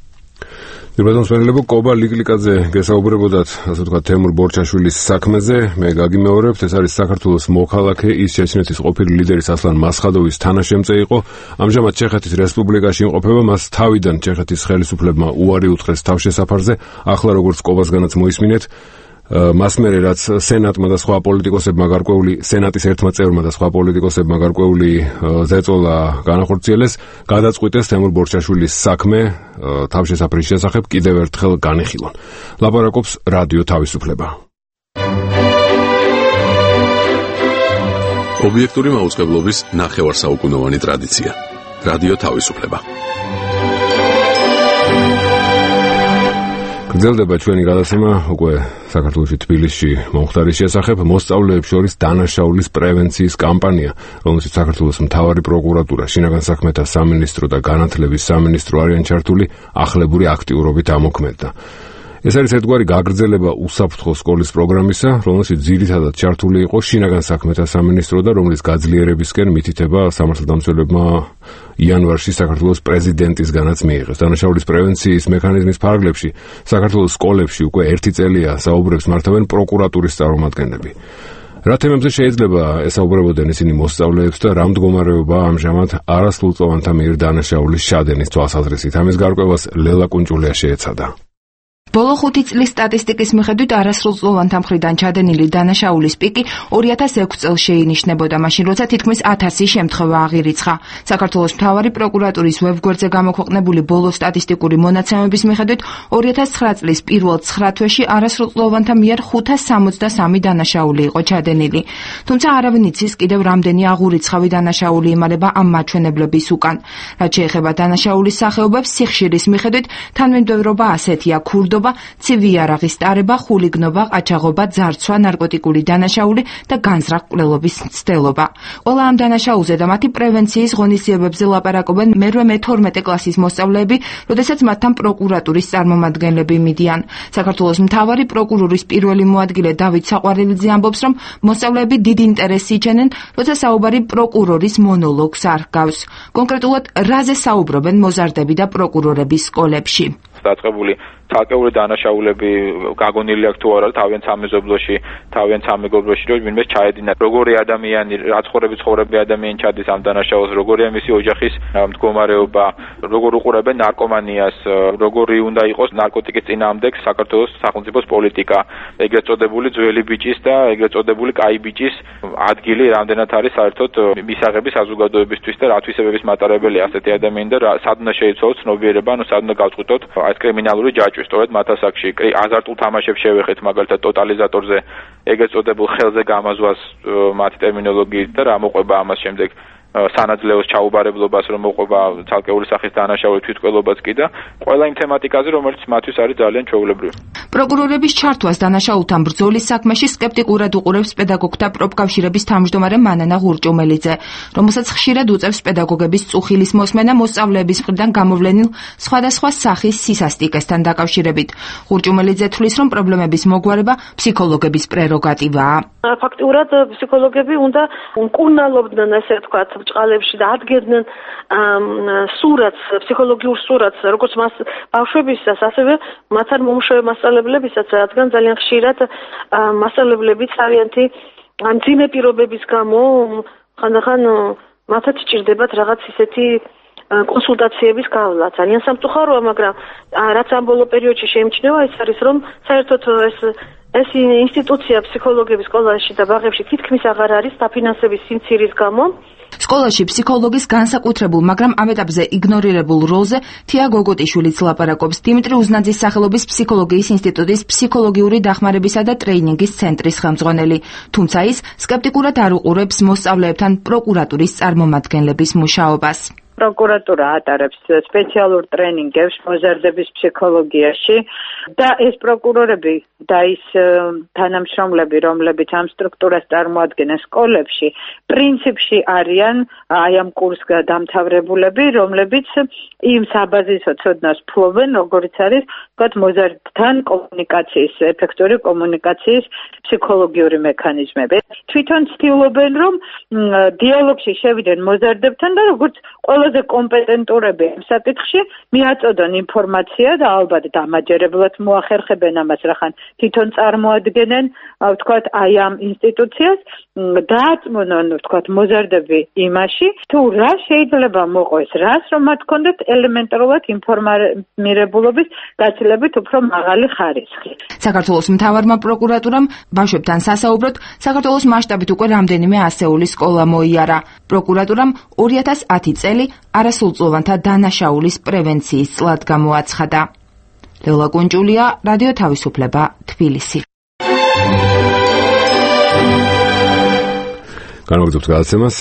Ირბადონსმენელებო კობა ლიკლიკაძე გესაუბრებოდათ, ასე ვთქვათ, თემურ ბორჩაშვილის საქმეზე. მე გაგიმეორებთ, ეს არის საქართველოს მოქალაქე, ის ჩეჩნეთის ყოფილი ლიდერის ასლან მასხადოვის თანაშემწე იყო. ამჟამად ჩეხეთის რესპუბლიკაში იმყოფება, მას თავიდან ჩეხეთის ხელისუფლებმა უარი უთხრეს თავშესაფარზე. ახლა როგორც კობასგანაც მოისმინეთ, მას მერე რაც სენატმა და სხვა პოლიტიკოსებმა გარკვეული სენატის ერთმა წევრმა და სხვა პოლიტიკოსებმა გარკვეული ზეწოლა განახორციელეს, გადაწყვიტეს თემურ ბორჩაშვილის საქმე თავშესაფრის შესახებ კიდევ ერთხელ განიხილონ. ლაპარაკობს რადიო თავისუფლება. ობიექტური მაუწყებლობის ნახევარსაუკუნოვანი ტრადიცია. რადიო თავისუფლება. გრძელდება ჩვენი გადაცემა უკვე საქართველოში თბილისში მომხდარის შესახებ. მოსწავლეებს შორის დანაშაულის პრევენციის კამპანია, რომელშიც საქართველოს მთავარი პროკურატურა, შინაგან საქმეთა სამინისტრო და განათლების სამინისტრო არიან ჩართული, ახლებური აქტიურობით ამოქმედდა. ეს არის ერთგვარი გაგრძელება უსაფრთხო სკოლის პროგრამისა, რომელშიც ძირითადად ჩართული იყო შინაგან საქმეთა სამინისტრო და რომლის გაძლიერებისკენ მითითება სამართალდამცველებმა იანვარში საქართველოს პრეზიდენტისგანაც მიიღეს. დანაშაულის პრევენციის მექანიზმის ფარგლებში საქართველოს სკოლებში უკვე ერთი წელია საუბრებს მართავენ პროკურატურის წარმომადგენლები. რა თემებზე შეიძლება ესაუბრებოდნენ ისინი მოსწავლეებს და რა მდგომარეობაა ამჟამად არასრულწლოვანთა მიერ დანაშაულის შადენის თვალსაზრისით? ამის გარკვევას ლელა კუნჭულია შეეცადა. ბოლო ხუთი წლის სტატისტიკის მიხედვით არასრულწლოვანთა მხრიდან ჩადენილი დანაშაულის პიკი ორი ათას ექვსი წელს შეინიშნებოდა, მაშინ როცა თითქმის ათასი შემთხვევა აღირიცხა. საქართველოს მთავარი პროკურატურის ვებგვერდზე გამოქვეყნებული ბოლო სტატისტიკური მონაცემების მიხედვით ორი ათას ცხრა წლის პირველ ცხრა თვეში არასრულწლოვანთა მიერ ხუთას სამოცდასამი დანაშაული იყო ჩადენილი. თუმცა არავინ იცის კიდევ რამდენი აღურიცხავი დანაშაული იმალება ამ მაჩვენებლების უკან. რაც შეეხება დანაშაულის სახეობებს, სიხშირის მიხედვით თანმიმდევრობა ასეთია: ქურდობა, ცივი იარაღის ტარება, ხულიგნობა, ყაჩაღობა, ძარცვა, ნარკოტიკული დანაშაული და განზრახ-მკვლელობის მცდელობა. ყველა ამ დანაშაულზე და მათი პრევენციის ღონისძიებებზე ლაპარაკობენ მერვე მეთორმეტე კლასის მოსწავლეები, როდესაც მათთან პროკურატურის წარმომადგენლები მიდიან. საქართველოს მთავარი პროკურორის პირველი მოადგილე დავით საყვარელიძე ამბობს, რომ მოსწავლეები დიდ ინტერესს იჩენენ, როცა საუბარი პროკურორის მონოლოგს არ ჰგავს. კონკრეტულად, რაზე საუბრობენ მოზარდები და პროკურორების სკოლებში? დაწყებული ცალკეული დანაშაულები გაგონილი აქვს თუ არა თავიანთ სამეზობლოში, თავიანთ სამეგობროში, რომ ვინმეს ჩაედინათ. როგორი ადამიანი, რა ცხოვრები ცხოვრები ადამიანი ჩადის ამ დანაშაულს, როგორია მისი ოჯახის მდგომარეობა, როგორ უყურებენ ნარკომანიას, როგორი უნდა იყოს ნარკოტიკის წინააღმდეგ საქართველოს სახელმწიფოს პოლიტიკა, ეგრეთ წოდებული ძველი ბიჭის და ეგრეთ წოდებული კაი ბიჭის ადგილი რამდენად არის საერთოდ მისაღები საზოგადოებისთვის და რა თვისებების მატარებელია ასეთი ადამიანი და სად უნდა შეიცვალოს ცნობიერება, ანუ სად უნდა გავწყვიტოთ ეს კრიმინალური ჯაჭვი. სწორედ მათ ასაკში აზარტულ თამაშებს შევეხეთ, მაგალითად ტოტალიზატორზე, ეგრეთ წოდებულ ხელზე გამაზვას მათი ტერმინოლოგიით და რა მოყვება ამას შემდეგ სანაძლეოს ჩაუბარებლობას, რომ მოყვება ცალკეული სახის დანაშაული, თვითმკვლელობაც კი და ყველა იმ თემატიკაზე, რომელიც მათთვის არის ძალიან ჩვეულებრივი. პროკურორების ჩართვას დანაშაულთან ბრძოლის საქმეში სკეპტიკურად უყურებს პედაგოგთა პროფკავშირების თავმჯდომარე მანანა ღურჭუმელიძე, რომელსაც ხშირად უწევს პედაგოგების წუხილის მოსმენა მოსწავლეების მხრიდან გამოვლენილ სხვადასხვა სახის სისასტიკესთან დაკავშირებით. ღურჭუმელიძე თვლის, რომ პრობლემების მოგვარება ფსიქოლოგების პრეროგატივაა. ფაქტიურად ფსიქოლოგები უნდა მკურნალობდნენ, ესე ვთქვათ, ბჭყალებში და ადგენდნენ სურათს, ფსიქოლოგიურ სურათს, როგორც მას ბავშვებისას, ასევე მათთან მომუშავე მასწავლებლებისაც, რადგან ძალიან ხშირად მასწავლებლებიც არიანთი მძიმე პირობების გამო ხანდახან მათაც ჭირდებათ რაღაც ისეთი კონსულტაციების გავლა. ძალიან სამწუხაროა, მაგრამ რაც ამ ბოლო პერიოდში შეიმჩნევა, ის არის, რომ საერთოდ ეს ეს ინსტიტუცია ფსიქოლოგების სკოლაში და ბაღებში თითქმის აღარ არის დაფინანსების სიმცირის გამო. სკოლაში ფსიქოლოგის განსაკუთრებულ, მაგრამ ამ ეტაპზე იგნორირებულ როლზე თია გოგოტიშვილიც ლაპარაკობს. დიმიტრი უზნაძის სახელობის ფსიქოლოგიის ინსტიტუტის ფსიქოლოგიური დახმარებისა და ტრეინინგის ცენტრის ხელმძღვანელი. თუმცა ის სკეპტიკურად არ უყურებს მოსწავლეებთან პროკურატურის წარმომადგენლების მუშაობას. პროკურატურა ატარებს სპეციალურ ტრენინგებს მოზარდების ფსიქოლოგიაში და ეს პროკურორები და ის თანამშრომლები, რომლებიც ამ სტრუქტურას წარმოადგენენ სკოლებში, პრინციპში არიან აი ამ კურსს დამთავრებულები, რომლებიც იმ საბაზისო ცოდნას ფლობენ, როგორც არის, ვთქვათ, მოზარდთან კომუნიკაციის, ეფექტური კომუნიკაციის ფსიქოლოგიური მექანიზმები. თვითონ ცდილობენ, რომ დიალოგში შევიდნენ მოზარდებთან და როგორც ყველაზე კომპეტენტურები ამ საკითხში მიაწოდონ ინფორმაცია და ალბათ დამაჯერებლად მოახერხებენ ამას, რახან თვითონ წარმოადგენენ, ვთქვათ, აი ამ ინსტიტუციას, დააწმუნონ, ვთქვათ, მოზარდები იმაში, თუ რა შეიძლება მოყვეს, რას რომ მათ ჰქონდეთ ელემენტარულად ინფორმირებულობის გაცილებით უფრო მაღალი ხარისხი. საქართველოს მთავარმა პროკურატურამ ბავშვებთან სასაუბროდ საქართველოს მასშტაბით უკვე რამდენიმე ასეული სკოლა მოიარა. პროკურატურამ ორი ათას ათი წელი არასრულწლოვანთა დანაშაულის პრევენციის წლად გამოაცხადა. ლელა კუნჭულია, რადიო თავისუფლება, თბილისი. განვაგრძობთ გადაცემას.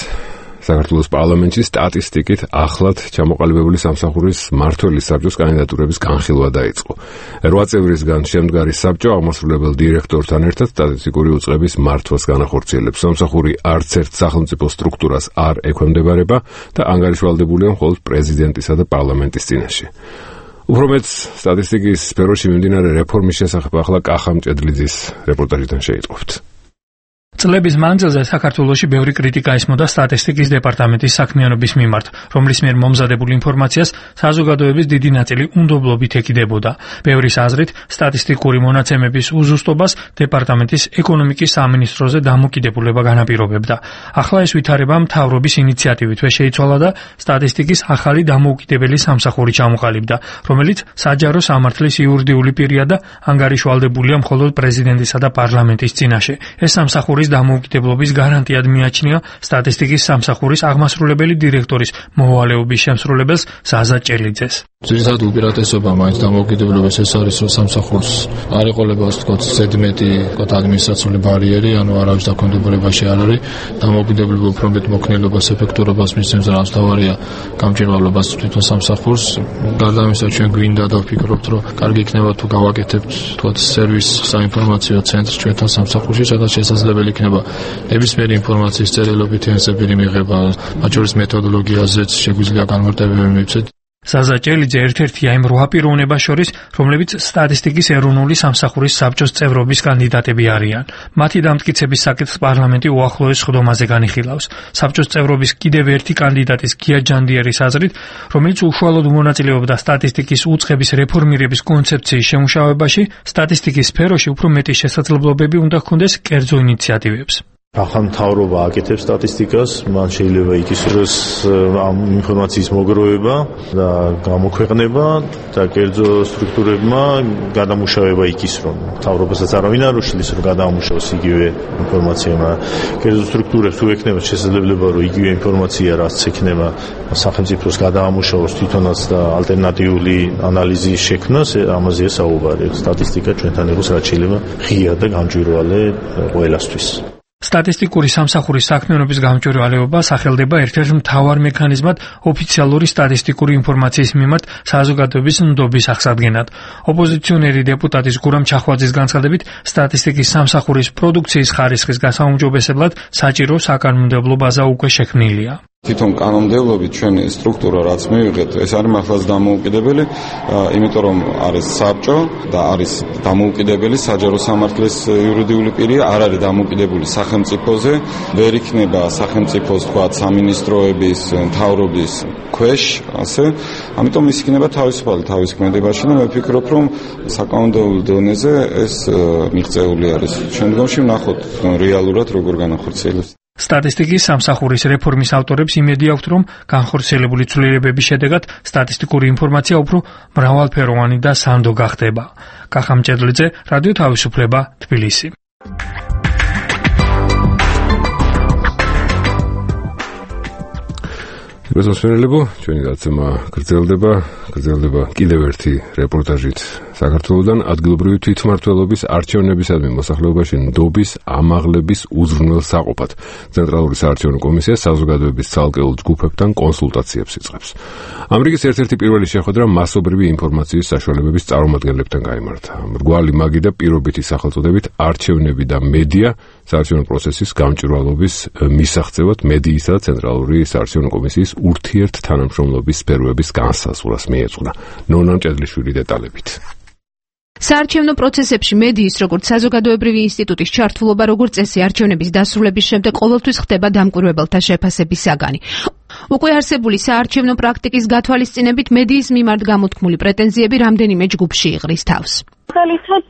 საქართველოს პარლამენტში სტატისტიკით ახლად ჩამოყალიბებული სამსახურის მმართველის საბჭოს კანდიდატურების განხილვა დაიწყო. რვა წევრისგან შემდგარი საბჭო აღმასრულებელ დირექტორთან ერთად სტატისტიკური უწყების მართვას განახორციელებს. სამსახური არც ერთ სახელმწიფო სტრუქტურას არ ექვემდებარება და ანგარიშვალდებულია მხოლოდ პრეზიდენტისა და პარლამენტის წინაშე. უფრო მეც სტატისტიკის სფეროში მიმდინარე რეფორმის შესახებ ახლა კახა მჭედლიძის რეპორტაჟიდან შეიტყობთ. წლების მანძილზე საქართველოში ბევრი კრიტიკა ესმოდა სტატისტიკის დეპარტამენტის საქმიანობის მიმართ, რომლის მიერ მომზადებულ ინფორმაციას საზოგადოების დიდი ნაწილი უნდობლობით ეკიდებოდა. ბევრის აზრით, სტატისტიკური მონაცემების უზუსტობას დეპარტამენტის ეკონომიკის სამინისტროზე დამოკიდებულება განაპირობებდა. ახლა ეს ვითარება მთავრობის ინიციატივითვე შეიცვალა და სტატისტიკის ახალი დამოუკიდებელი სამსახური ჩამოყალიბდა, რომელიც საჯარო სამართლის იურიდიული პირია და ანგარიშვალდებულია მხოლოდ პრეზიდენტისა და პარლამენტის წინაშე. ეს სამსახური დამოუკიდებლობის გარანტიად მიაჩნია სტატისტიკის სამსახურის აღმასრულებელი დირექტორის მოვალეობის შემსრულებელს ზაზა ჭელიძეს. ძირითადად უპირატესობა მაინც დამოუკიდებლობის ეს არის, რომ სამსახურს არ ეყოლება, ასე ვთქვათ, ზედმეტი, ვთქვათ, ადმინისტრაციული ბარიერი, ანუ არავის დაქვემდებარებაში არ არის. დამოუკიდებლობა უფრო მეტ მოქნილობას, ეფექტურობას მისცემს, რაც თავარია გამჭირვალობას თვითონ სამსახურს. გარდა ამისა, ჩვენ გვინდა და ვფიქრობთ, რომ კარგი იქნება თუ გავაკეთებთ, ვთქვათ, სერვის საინფორმაციო ცენტრს ჩვენთან სამსახურში, სადაც შესაძლებელი იქნება ნებისმიერი ინფორმაციის წერილობითი ენზებირი მიღება, მათ შორის მეთოდოლოგიაზეც შეგვიძლია განმარტებები მივცეთ. ზაზა ჭელიძე ერთ-ერთია იმ რვა პიროვნებას შორის, რომლებიც სტატისტიკის ეროვნული სამსახურის საბჭოს წევრობის კანდიდატები არიან. მათი დამტკიცების საკითხს პარლამენტი უახლოეს სხდომაზე განიხილავს. საბჭოს წევრობის კიდევ ერთი კანდიდატის გია ჯანდიერის აზრით, რომელიც უშუალოდ მონაწილეობდა სტატისტიკის უწყების რეფორმირების კონცეფციის შემუშავებაში, სტატისტიკის სფეროში უფრო მეტი შესაძლებლობები უნდა ჰქონდეს კერძო ინიციატივებს. ახალ მთავრობა აკეთებს სტატისტიკას, მან შეიძლება იკისროს ამ ინფორმაციის მოგროვება და გამოქვეყნება და კერძო სტრუქტურებმა გადამუშავება იკისრონ. მთავრობასაც არავინ არ უშლის, რომ გადაამუშავოს იგივე ინფორმაცია, მაგრამ კერძო სტრუქტურებს თუ ექნება შესაძლებლობა, რომ იგივე ინფორმაცია რაც ექნება სახელმწიფოს გადაამუშავოს თვითონაც და ალტერნატიული ანალიზის შექმნას, ამაზეა საუბარი. სტატისტიკა ჩვენთან იყოს რაც შეიძლება ღია და გამჭვირვალე ყველასთვის. სტატისტიკური სამსახურის საქმიანობის გამჭვირვალეობა სახელდება ერთ-ერთ მთავარ მექანიზმად ოფიციალური სტატისტიკური ინფორმაციის მიმართ საზოგადოების ნდობის აღსადგენად. ოპოზიციონერი დეპუტატის გურამ ჩახვაძის განცხადებით, სტატისტიკის სამსახურის პროდუქციის ხარისხის გასაუმჯობესებლად საჭირო საკანონმდებლო ბაზა უკვე შექმნილია. თვითონ კანონმდებლობით ჩვენი სტრუქტურა რაც მივიღეთ, ეს არის მართლაც დამოუკიდებელი, იმიტომ რომ არის საბჭო და არის დამოუკიდებელი საჯარო სამართლის იურიდიული პირი, არ არის დამოუკიდებული სახელმწიფოზე, ვერ იქნება სახელმწიფოს თქვა სამინისტროების, მთავრობის ქვეშ, ასე. ამიტომ ის იქნება თავისუფალი თავის ქმედებაში და მე ვფიქრობ, რომ საკანონმდებლო დონეზე ეს მიღწეული არის. შემდგომში ვნახოთ რეალურად როგორ განახორციელებს. სტატისტიკის სამსახურის რეფორმის ავტორებს იმედი აქვთ, რომ განხორციელებული ცვლილებების შედეგად სტატისტიკური ინფორმაცია უფრო მრავალფეროვანი და სანდო გახდება. კახა მჭედლიძე, რადიო თავისუფლება, თბილისი. გასასვენელებო, ჩვენი დაცემა გრძელდება, გრძელდება კიდევ ერთი რეპორტაჟით საქართველოდან ადგილობრივი თვითმმართველობის არჩევნებისადმი მოსახლეობაში ნდობის ამაღლების უზრუნველ საყოფად. ცენტრალური საარჩევნო კომისია საზოგადოების ცალკეულ ჯგუფებთან კონსულტაციებს იწყებს. ამერიკის ერთ-ერთი პირველი შეხვედრა მასობრივი ინფორმაციის საშუალებების წარმომადგენლებთან გაიმართა. მრგვალი მაგი და პირობითი სახელწოდებით არჩევნები და მედია საარჩევნო პროცესის გამჭვირვალობის მისაღწევად მედიისა და ცენტრალური საარჩევნო კომისიის ურთიერთთანამშრომლობის სფეროების განსაზღვრას მიეძღვნა. ნონა მჭედლიშვილი დეტალებით. საარჩევნო პროცესებში მედიის როგორც საზოგადოებრივი ინსტიტუტის ჩართულობა როგორც წესი არჩევნების დასრულების შემდეგ ყოველთვის ხდება დამკვირვებელთა შეფასების საგანი. უკვე არსებული საარჩევნო პრაქტიკის გათვალისწინებით მედიის მიმართ გამოთქმული პრეტენზიები რამდენიმე ჯგუფში იღრის თავს. მაგალითად,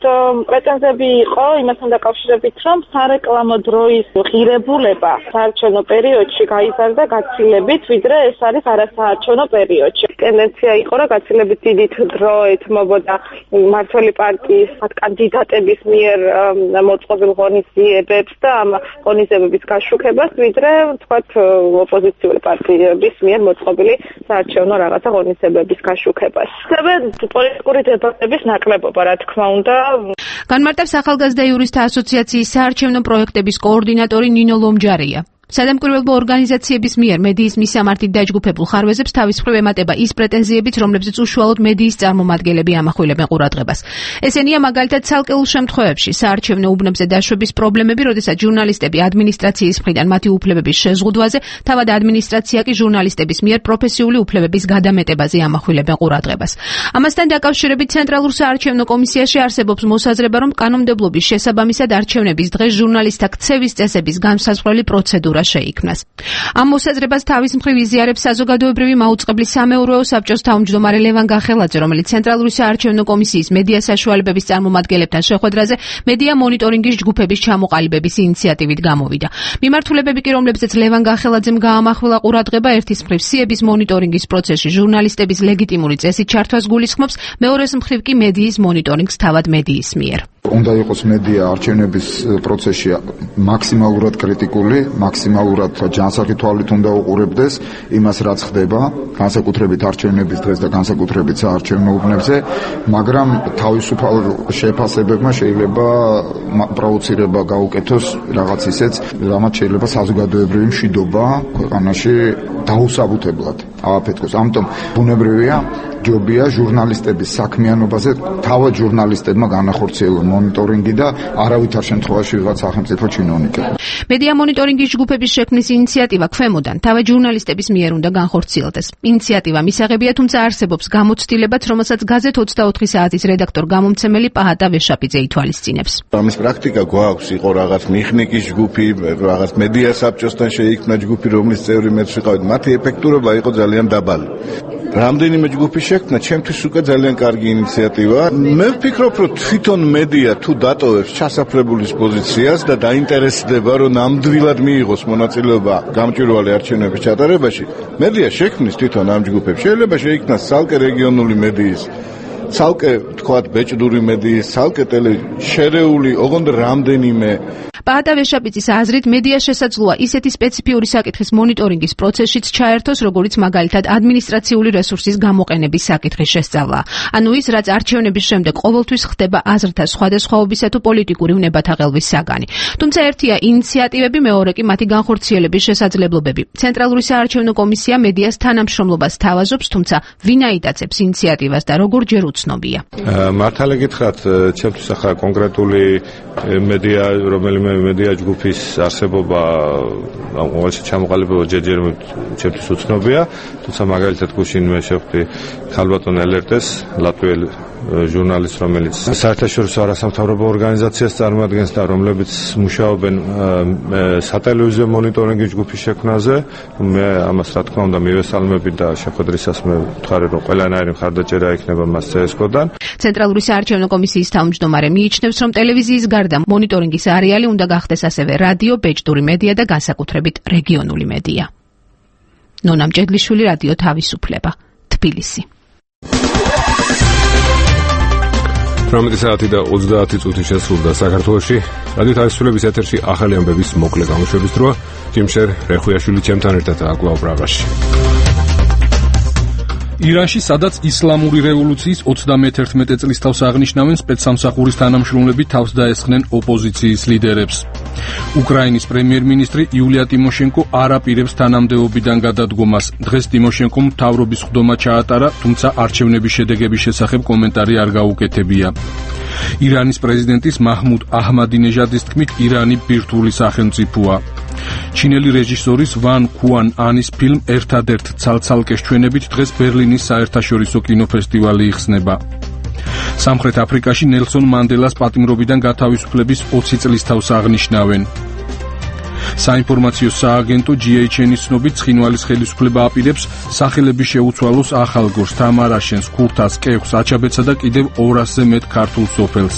პრეტენზიები იყო იმასთან დაკავშირებით, რომ სარეკლამო დროის ღირებულება საარჩევნო პერიოდში გაიზარდა გაცილებით, ვიდრე ეს არის არასაარჩევნო პერიოდში. ტენდენცია იყო, რომ გაცილებით დიდი დრო ეთმობოდა მმართველი პარტიის კანდიდატების მიერ მოწყობილ ღონისძიებებს და ამ ღონისძიებების გაშუქებას, ვიდრე თქვათ ოპოზიციური პარტიების მიერ მოწყობილი საარჩევნო რაღაცა ღონისძიებების გაშუქებას. ასევე პოლიტიკური დებატების ნაკლებობა, რა თქმა უნდა. განმარტავს ახალგაზრდა იურისტთა ასოციაციის საარჩევნო პროექტების კოორდინატორი ნინო ლომჯარია. სადამკვირვებლო ორგანიზაციების მიერ მედიის მისამართით დაჯგუფებულ ხარვეზებს თავის მხრივ ემატება ის პრეტენზიებიც, რომლებზეც უშუალოდ მედიის წარმომადგენლები ამახვილებენ ყურადღებას. ესენია მაგალითად ცალკეულ შემთხვევებში საარჩევნო უბნებზე დაშვების პრობლემები, როდესაც ჟურნალისტები ადმინისტრაციის მხრიდან მათი უფლებების შეზღუდვაზე, თავად ადმინისტრაცია კი ჟურნალისტების მიერ პროფესიული უფლებების გადამეტებაზე ამახვილებენ ყურადღებას. ამასთან დაკავშირებით ცენტრალურ საარჩევნო კომისიაში არსებობს მოსაზრება, რომ კანონმდებლობის შესაბამისად არჩევნების დღეს ჟურნალისტთა ქცევის წესების განსაზღვრელი პროცედურა შეიქმნას. ამ მოსაზრებას თავის მხრივ იზიარებს საზოგადოებრივი მაუწყებლის სამეურვეო საბჭოს თავმჯდომარე ლევან გახელაძე, რომელიც ცენტრალური საარჩევნო კომისიის მედია საშუალებების წარმომადგენლებთან შეხვედრაზე მედია მონიტორინგის ჯგუფების ჩამოყალიბების ინიციატივით გამოვიდა. მიმართულებები კი, რომლებზეც ლევან გახელაძემ გაამახვილა ყურადღება, ერთის მხრივ სიების მონიტორინგის პროცესში ჟურნალისტების ლეგიტიმური წესით ჩართვას გულისხმობს, მეორეს მხრივ კი მედიის მონიტორინგს თავად მედიის მიერ. უნდა იყოს მედია არჩევნების პროცესში მაქსიმალურად კრიტიკული, მაქსიმალურად ჯანსაღი თვალით უნდა უყურებდეს იმას, რაც ხდება, განსაკუთრებით არჩევნების დღეს და განსაკუთრებით საარჩევნო უბნებზე, მაგრამ თავისუფალ შეფასებებმა შეიძლება პროვოცირება გაუკეთოს რაღაც ისეც, რამაც შეიძლება საზოგადოებრივი მშვიდობა ქვეყანაში დაუსაბუთებლად ააფეთქოს. ამიტომ ბუნებრივია, ჯობია ჟურნალისტების საქმიანობაზე თავად ჟურნალისტებმა განახორციელონ მონიტორინგი და არავითარ შემთხვევაში ვიღაც სახელმწიფო ჩინოვნიკები. მედია მონიტორინგის ჯგუფების შექმნის ინიციატივა ქვემოდან თავად ჟურნალისტების მიერ უნდა განხორციელდეს. ინიციატივა მისაღებია, თუმცა არსებობს გამოცდილებაც, რომელსაც გაზეთ ოცდაოთხი საათის რედაქტორ გამომცემელი პაჰატა ვეშაპიძე ითვალისწინებს. ამის პრაქტიკა გვაქვს, იყო რაღაც მიხნიკის ჯგუფი, რაღაც მედია საბჭოსთან შეიქმნა ჯგუფი, რომლის წევრი მეც ვიყავით. მათი ეფექტურობა იყო ძალიან დაბალი. რამდენიმე ჯგუფის შექმნა ჩემთვის უკვე ძალიან კარგი ინიციატივაა. მე ვფიქრობ, რომ თვითონ მედია თუ დატოვებს ჩასაფრებულის პოზიციას და დაინტერესდება, რომ ნამდვილად მიიღოს მონაწილეობა გამჭვირვალე არჩევნების ჩატარებაში, მედია შექმნის თვითონ ამ ჯგუფებს. შეიძლება შეიქმნას ცალკე რეგიონული მედიის, ცალკე თქვათ ბეჭდური მედიის, ცალკე ტელე შერეული, ოღონდ რამდენიმე. პაატა ვეშაპიცის აზრით მედია შესაძლოა ისეთი სპეციფიური საკითხის მონიტორინგის პროცესშიც ჩაერთოს, როგორც მაგალითად ადმინისტრაციული რესურსის გამოყენების საკითხის შესწავლა. ანუ ის, რაც არჩევნების შემდეგ ყოველთვის ხდება აზრთა სხვადასხვაობისა თუ პოლიტიკური უნებათაღელვის საგანი. თუმცა ერთია ინიციატივები, მეორე კი მათი განხორციელების შესაძლებლობები. ცენტრალური საარჩევნო კომისია მედიას თანამშრომლობას თავაზობს, თუმცა ვინ აიტაცებს ინიციატივას და როგორ ჯერ უცნობია. მართალი გითხრათ, ჩემთვის ახლა კონკრეტული მედია, რომელიმე მედია ჯგუფის არსებობა, ყოველში ჩამოყალიბება ჯერჯერობით ჩემთვის უცნობია, თუმცა მაგალითად გუშინ მე შევხვდი ქალბატონ ელერტეს, ლატვიელ ჟურნალისტს, რომელიც საერთაშორისო არასამთავრობო ორგანიზაციას წარმოადგენს და რომლებიც მუშაობენ სატელევიზიო მონიტორინგის ჯგუფის შექმნაზე. მე ამას რა თქმა უნდა მივესალმები და შეხვედრისას მე ვთხარი, რომ ყველანაირი მხარდაჭერა იქნება მას ცსკო-დან. ცენტრალური საარჩევნო კომისიის თავმჯდომარე მიიჩნევს, რომ ტელევიზიის გარდა მონიტორინგის არეალი უნდა გახდეს ასევე რადიო, ბეჭდური მედია და განსაკუთრებით რეგიონული მედია. ნონა მჭედლიშვილი, რადიო თავისუფლება, თბილისი. ორმეტი საათი და ოცდაათი წუთი შესრულდა საქართველოში. რადიო თავისუფლების ეთერში ახალი ამბების მოკლე გამოშვების დროა. ჯიმშერ რეხუიაშვილი ჩემთან ერთად აკლავ პრაღაში. ირანში, სადაც ისლამური რევოლუციის ოცდამეთერთმეტე წლის თავს აღნიშნავენ სპეცსამსახურის თანამშრომლები თავს დაესხნენ ოპოზიციის ლიდერებს. უკრაინის პრემიერ-მინისტრი იულია ტიმოშენკო არ აპირებს თანამდებობიდან გადადგომას. დღეს ტიმოშენკომ მთავრობის ხდომა ჩაატარა, თუმცა არჩევნების შედეგების შესახებ კომენტარი არ გაუკეთებია. ირანის პრეზიდენტის მაჰმუდ აჰმადინეჟადის თქმით, ირანი ბირთვული სახელმწიფოა. ჩინელი რეჟისორის ვან ქუან ანის ფილმ ერთადერთ ცალცალკე ჩვენებით დღეს ბერლინის საერთაშორისო კინოფესტივალი იხსნება. სამხრეთ აფრიკაში ნელსონ მანდელას პატიმრობიდან გათავისუფლების ოცი წლის თავს აღნიშნავენ. საინფორმაციო სააგენტო ჯი ეიჩ ენის ცნობით, ცხინვალის ხელისუფლება აპირებს სახელების შეუცვალოს ახალგორს, თამარაშენს, ქურთას, კეხვს, აჩაბეთსა და კიდევ ორასზე მეტ ქართულ სოფელს.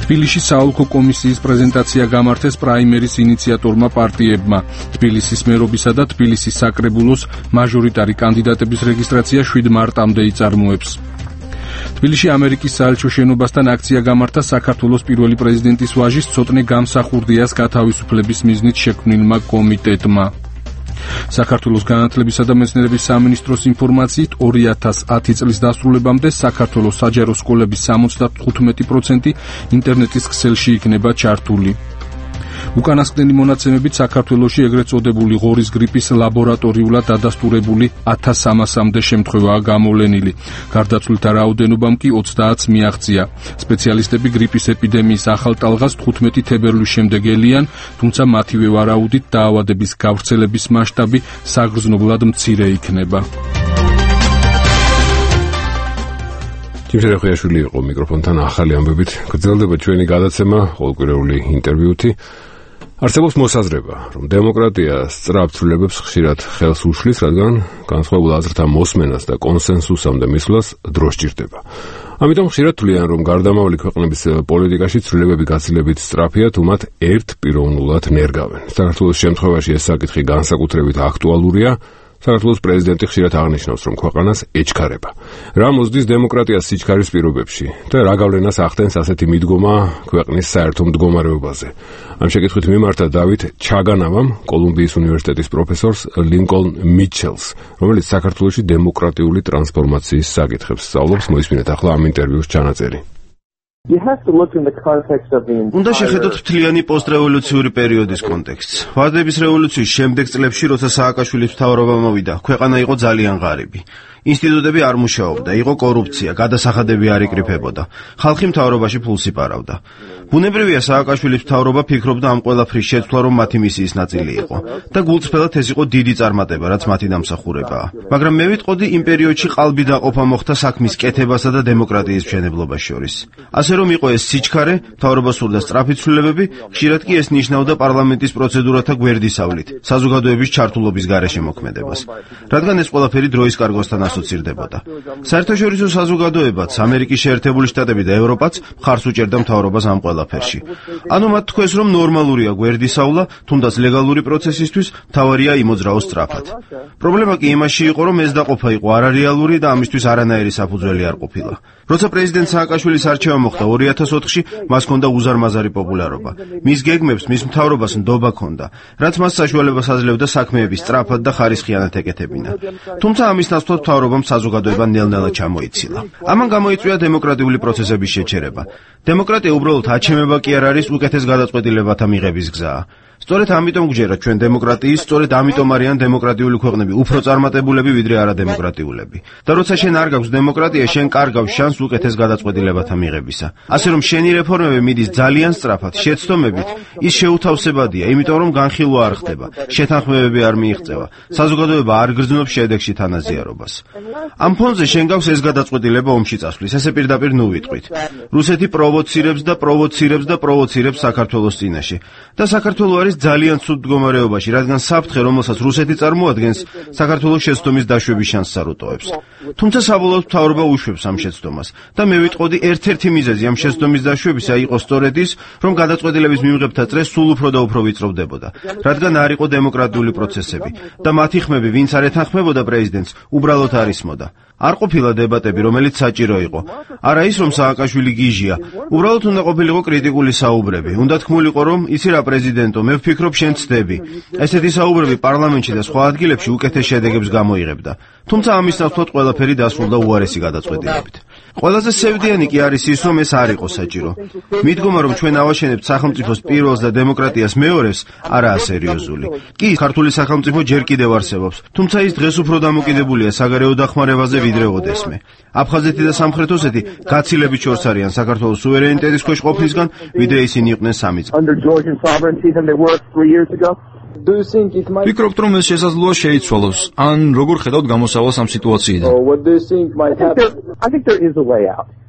თბილისში საოლქო კომისიის პრეზენტაცია გამართეს პრაიმერის ინიციატორმა პარტიებმა. თბილისის მერობისა და თბილისის საკრებულოს მაჟორიტარი კანდიდატების რეგისტრაცია შვიდ მარტამდე იწარმოებს. თბილისში ამერიკის საელჩო შენობასთან აქცია გამართა საქართველოს პირველი პრეზიდენტის ვაჟის ცოტნე გამსახურდიას გათავისუფლების მიზნით შექმნილმა კომიტეტმა. საქართველოს განათლებისა და მეცნიერების სამინისტროს ინფორმაციით ორი ათას ათი წლის დასრულებამდე საქართველოს საჯარო სკოლების სამოცდათხუთმეტი პროცენტი ინტერნეტის ქსელში იქნება ჩართული. უკანასკნელი მონაცემებით საქართველოში ეგრეთ წოდებული ღორის გრიპის ლაბორატორიულად დადასტურებული ათას სამასამდე შემთხვევაა გამოვლენილი. გარდაცვლილთა რაოდენობამ კი ოცდაათს მიაღწია. სპეციალისტები გრიპის ეპიდემიის ახალ ტალღას თხუთმეტი თებერვლის შემდეგ ელიან, თუმცა მათივე ვარაუდით დაავადების გავრცელების მასშტაბი საგრძნობლად მცირე იქნება. ჯიმშერ რეხუიაშვილი იყო მიკროფონთან ახალი ამბებით. გრძელდება ჩვენი გადაცემა ყოველკვირეული ინტერვიუთი. არსებობს მოსაზრება, რომ დემოკრატია სწრაფ ცვლილებებს ხშირად ხელს უშლის, რადგან განსხვავებულ აზრთა მოსმენას და კონსენსუსამდე მისვლას დრო სჭირდება. ამიტომ ხშირად თვლიან, რომ გარდამავალი ქვეყნების პოლიტიკაში ცვლილებები გაცილებით სწრაფია, თუ მათ ერთპიროვნულად ნერგავენ. საქართველოს შემთხვევაში ეს საკითხი განსაკუთრებით აქტუალურია. საქართველოს პრეზიდენტი ხშირად აღნიშნავს, რომ ქვეყანას ეჩქარება. რა მოსდის დემოკრატიას სიჩქარის პირობებში და რა გავლენას ახდენს ასეთი მიდგომა ქვეყნის საერთო მდგომარეობაზე. ამ შეკითხვით მიმართა დავით ჩაგანავამ, კოლუმბიის უნივერსიტეტის პროფესორს ლინკოლნ მიჩელს, რომელიც საქართველოში დემოკრატიული ტრანსფორმაციის საკითხებს სწავლობს. მოისმინეთ ახლა ამ ინტერვიუს ჩანაწერი. უნდა შეხედოთ მთლიანი პოსტრევოლუციური პერიოდის კონტექსტს. ვარდების რევოლუციის შემდეგ წლებში, როცა სააკაშვილის მთავრობა მოვიდა, ქვეყანა იყო ძალიან ღარიბი. ინსტიტუტები არ მუშაობდა, იყო კორუფცია, გადასახადები არ იკრიფებოდა. ხალხი მთავრობაში ფულს იპარავდა. ბუნებრივია, სააკაშვილის მთავრობა ფიქრობდა ამ ყველაფრის შეცვლა, რომ მათი მისიის ნაწილი იყო და გულწრფელად ეს იყო დიდი წარმატება, რაც მათი დამსახურებაა. მაგრამ მე ვიტყოდი, იმ პერიოდში ყალბი დაყოფა მოხდა საქმის კეთებასა და დემოკრატიის მშენებლობას შორის. ასე რომ იყო ეს სიჩქარე, მთავრობა სურდა სწრაფი ცვლილებები, ხშირად კი ეს ნიშნავდა პარლამენტის პროცედურათა გვერდისავლით, საზოგადოების ჩართულობის გარეშე მოქმედებას. რადგან ეს ყველაფერი დროის კარგოსთან ასოცირდებოდა. საერთაშორისო საზოგადოებაც, ამერიკის შეერთებული შტატები და ევროპაც მხარს უჭერდა მთავრობას ამ ყველაფერში. ანუ მათ თქვეს, რომ ნორმალურია გვერდისავლა, თუნდაც ლეგალური პროცესისთვის მთავარია იმოძრაოს სწრაფად. პრობლემა კი იმაში იყო, რომ ეს დაყოფა იყო არარეალური და ამისთვის არანაირი საფუძველი არ ყოფილა. როცა პრეზიდენტ სააკაშვილის არჩევა მოხდა ორი ათას ოთხში, მას ჰქონდა უზარმაზარი პოპულარობა. მის გეგმებს, მის მთავრობას ნდობა ჰქონდა, რაც მას საშუალებას აძლევდა საქმეების სწრაფად და ხარისხიანად ეკეთებინა. თუმცა ამის ნაცვლად მთავრობამ საზოგადოება ნელ-ნელა ჩამოიცილა. ამან გამოიწვია დემოკრატიული პროცესების შეჩერება. დემოკრატია უბრალოდ აჩემება კი არ არის უკეთეს გადაწყვეტილებათა მიღების გზაა. სწორედ ამიტომ გჯერათ ჩვენ დემოკრატიის, სწორედ ამიტომ არიან დემოკრატიული ქვეყნები უფრო წარმატებულები ვიდრე არადემოკრატიულები. და როცა შენ არ გაქვს დემოკრატია, შენ კარგავს შანსს უკეთეს გადაწყვეტილებათა მიღებისა. ასე რომ შენი რეფორმები მიდის ძალიან სწრაფად, შეცდომებით, ის შეუთავსებადია, იმიტომ რომ განხილვა არ ხდება, შეთანხმებები არ მიიღწევა, საზოგადოება არ გრძნობს შედეგში თანაზიარობას. ამ ფონზე შენ გაქვს ეს გადაწყვეტილება ომში წასვლის, ესე პირდაპირ ნუ ვიტყვით. რუსეთი პროვოცირებს და პროვოცირებს და პროვოცირებს საქართველოს წინაშე. და საქართველოს არის ძალიან ცუდ მდგომარეობაში, რადგან საფრთხე, რომელსაც რუსეთი წარმოადგენს, საქართველოს შეცდომის დაშვების შანსს არ უტოვებს. თუმცა საბოლოოდ მთავრობა უშვებს ამ შეცდომას და მე ვიტყოდი, ერთ-ერთი მიზეზი ამ შეცდომის დაშვებისა იყო სწორედ ის, რომ გადაწყვეტილების მიღებთა წრე სულ უფრო და უფრო ვიწროვდებოდა, რადგან არ იყო დემოკრატიული პროცესები და მათი ხმები, ვინც არ ეთანხმებოდა პრეზიდენტს, უბრალოდ არ ისმოდა. არ ყოფილა დებატები, რომელიც საჭირო იყო. არა ის, რომ სააკაშვილი გიჟია, უბრალოდ უნდა ყოფილიყო კრიტიკული საუბრები. უნდა თქმულიყო, რომ იცი რა პრეზიდენტო, მე ვფიქრობ შენ ცდები. ესეთი საუბრები პარლამენტში და სხვა ადგილებში უკეთეს შედეგებს გამოიღებდა. თუმცა ამის ნაცვლად ყველაფერი დასრულდა უარესი გადაწყვეტილებით. ყველაზე სევდიანი კი არის ის, რომ ეს არ იყო საჭირო. მიდგომა, რომ ჩვენ ავაშენებთ სახელმწიფოს პირველს და დემოკრატიას მეორეს, არაა სერიოზული. კი, ქართული სახელმწიფო ჯერ კიდევ არსებობს, თუმცა ის დღეს უფრო დამოკიდებულია საგარეო დახმარებაზე ვიდრე ოდესმე. აფხაზეთი და სამხრეთ ოსეთი გაცილებით შორს არიან საქართველოს სუვერენიტეტის ქვეშ ყოფნისგან, ვიდრე ისინი იყვნენ სამი წელი. ვფიქრობთ, რომ ეს შესაძლოა შეიცვალოს, ან როგორ ხედავთ გამოსავალს ამ სიტუაციიდან?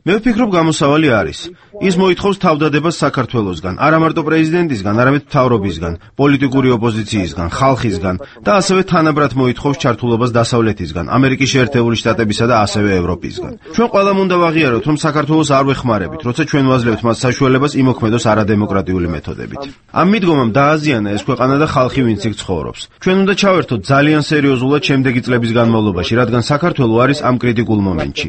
მე ვფიქრობ, გამოსავალი არის. ის მოითხოვს თავდადებას საქართველოსგან, არა მარტო პრეზიდენტისგან, არამედ მთავრობისგან, პოლიტიკური ოპოზიციისგან, ხალხისგან და ასევე თანაბრად მოითხოვს ჩართულობას დასავლეთისგან, ამერიკის შეერთებული შტატებისა და ასევე ევროპისგან. ჩვენ ყველამ უნდა ვაღიაროთ, რომ საქართველოს არ ვეხმარებით, როცა ჩვენ ვაძლევთ მას საშუალებას იმოქმედოს არადემოკრატიული მეთოდებით. ამ მიდგომამ დააზიანა ეს ქვეყანა და ხალხი, ვინც იქ ცხოვრობს. ჩვენ უნდა ჩავერთოთ ძალიან სერიოზულად შემდეგი წლების განმავლობაში, რადგან საქართველო არის ამ კრიტიკულ მომენტში.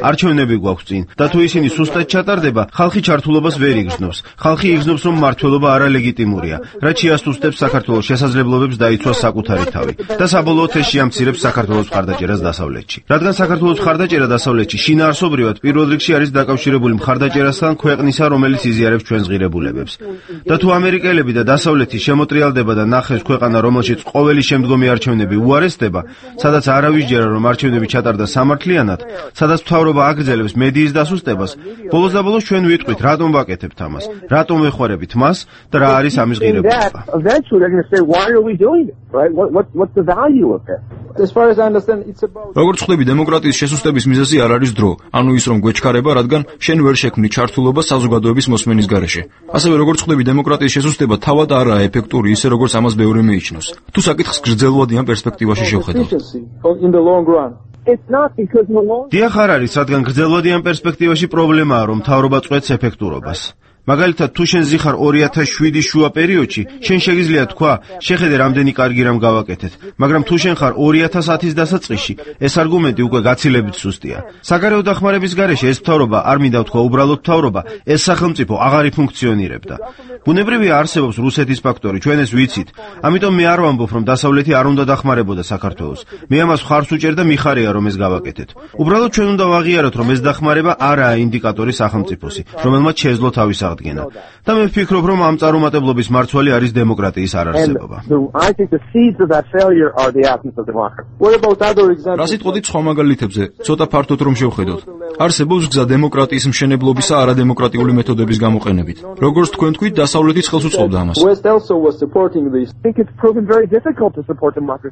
არჩევნები გვაქვს წინ და თუ ისინი სუსტად ჩატარდება, ხალხი ჩართულობას ვერ იგრძნობს. ხალხი იგრძნობს, რომ მმართველობა არალეგიტიმურია, რაც შეასუსტებს საქართველოს შესაძლებლობებს დაიცვას საკუთარი თავი და საბოლოოდ ეს შეამცირებს საქართველოს მხარდაჭერას დასავლეთში. რადგან საქართველოს მხარდაჭერა დასავლეთში შინაარსობრივად პირველ რიგში არის დაკავშირებული მხარდაჭერასთან ქვეყნისა, რომელიც იზიარებს ჩვენს ღირებულებებს. და თუ ამერიკელები და დასავლეთი შემოტრიალდება და ნახეს ქვეყანა, რომელშიც ყოველი შემდგომი არჩევნები უარესდება, სადაც არავის ჯერა რომ არჩევნები ჩატარდა სამართლიანად, სადაც მთავრობა აგრძელებს მედიის დასუსტებას, ბოლოს და ბოლოს ჩვენ ვიტყვით, რატომ ვაკეთებთ ამას, რატომ ვეხმარებით მას და რა არის ამის ღირებულება. როგორც ხვდები, დემოკრატიის შესუსტების მიზეზი არ არის დრო, ანუ ის რომ გვეჩქარება, რადგან შენ ვერ შექმნი ჩართულობა საზოგადოების მოსმენის გარეშე. ასევე როგორც ხვდები, დემოკრატიის შესუსტება თავად არაა ეფექტური, ისე როგორც ამას ბევრი მიიჩნევს. თუ საკითხს გრძელვადიან პერსპექტივაში შევხედავთ. დიახ, არ არის, რადგან გრძელვადიან პერსპექტივაში პრობლემაა, რომ მთავრობა წვეთს ეფექტურობას. მაგალითად, თუ შენ ზიხარ ორი ათას შვიდი შუა პერიოდში, შენ შეგიძლია თქვა, შეხედე რამდენი კარგი რამ გავაკეთეთ, მაგრამ თუ შენ ხარ ორი ათას ათის დასაწყისში, ეს არგუმენტი უკვე გაცილებით სუსტია. საგარეო დახმარების გარეშე ეს მთავრობა არ მინდა თქვა უბრალოდ მთავრობა, ეს სახელმწიფო აღარ იფუნქციონირებდა. ბუნებრივია არსებობს რუსეთის ფაქტორი, ჩვენ ეს ვიცით. ამიტომ მე არ ვამბობ, რომ დასავლეთი არ უნდა დახმარებოდა საქართველოს. მე ამას ხარს უჭერ და მიხარია, რომ ეს გავაკეთეთ. უბრალოდ ჩვენ უნდა ვაღიაროთ, რომ ეს დახმარება არაა ინდიკატორი სახელმწიფოსი, რომელმაც შეეძლო თავის აღდგენა. და მე ვფიქრობ, რომ ამ წარუმატებლობის მარცვალი არის დემოკრატიის არარსებობა. რა სიტყვით სხვა მაგალითებზე, ცოტა ფართოდ რომ შევხედოთ. არსებობს გზა დემოკრატიის მშენებლობისა არადემოკრატიული მეთოდების გამოყენებით. როგორც თქვენ თქვით, დასავლეთიც ხელს უწყობდა ამას.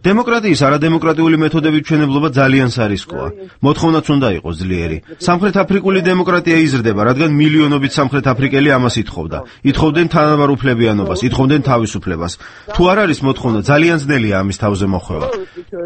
დემოკრატიის არადემოკრატიული მეთოდების მშენებლობა ძალიან სარისკოა. მოთხოვნაც უნდა იყოს ძლიერი. სამხრეთ აფრიკული დემოკრატია იზრდება, რადგან მილიონობით სამხრეთ აფრიკელი ყველაფერი ამას ითხოვდა. ითხოვდნენ თანაბარ უფლებიანობას, ითხოვდნენ თავისუფლებას. თუ არ არის მოთხოვნა, ძალიან ძნელია ამის თავზე მოხვევა.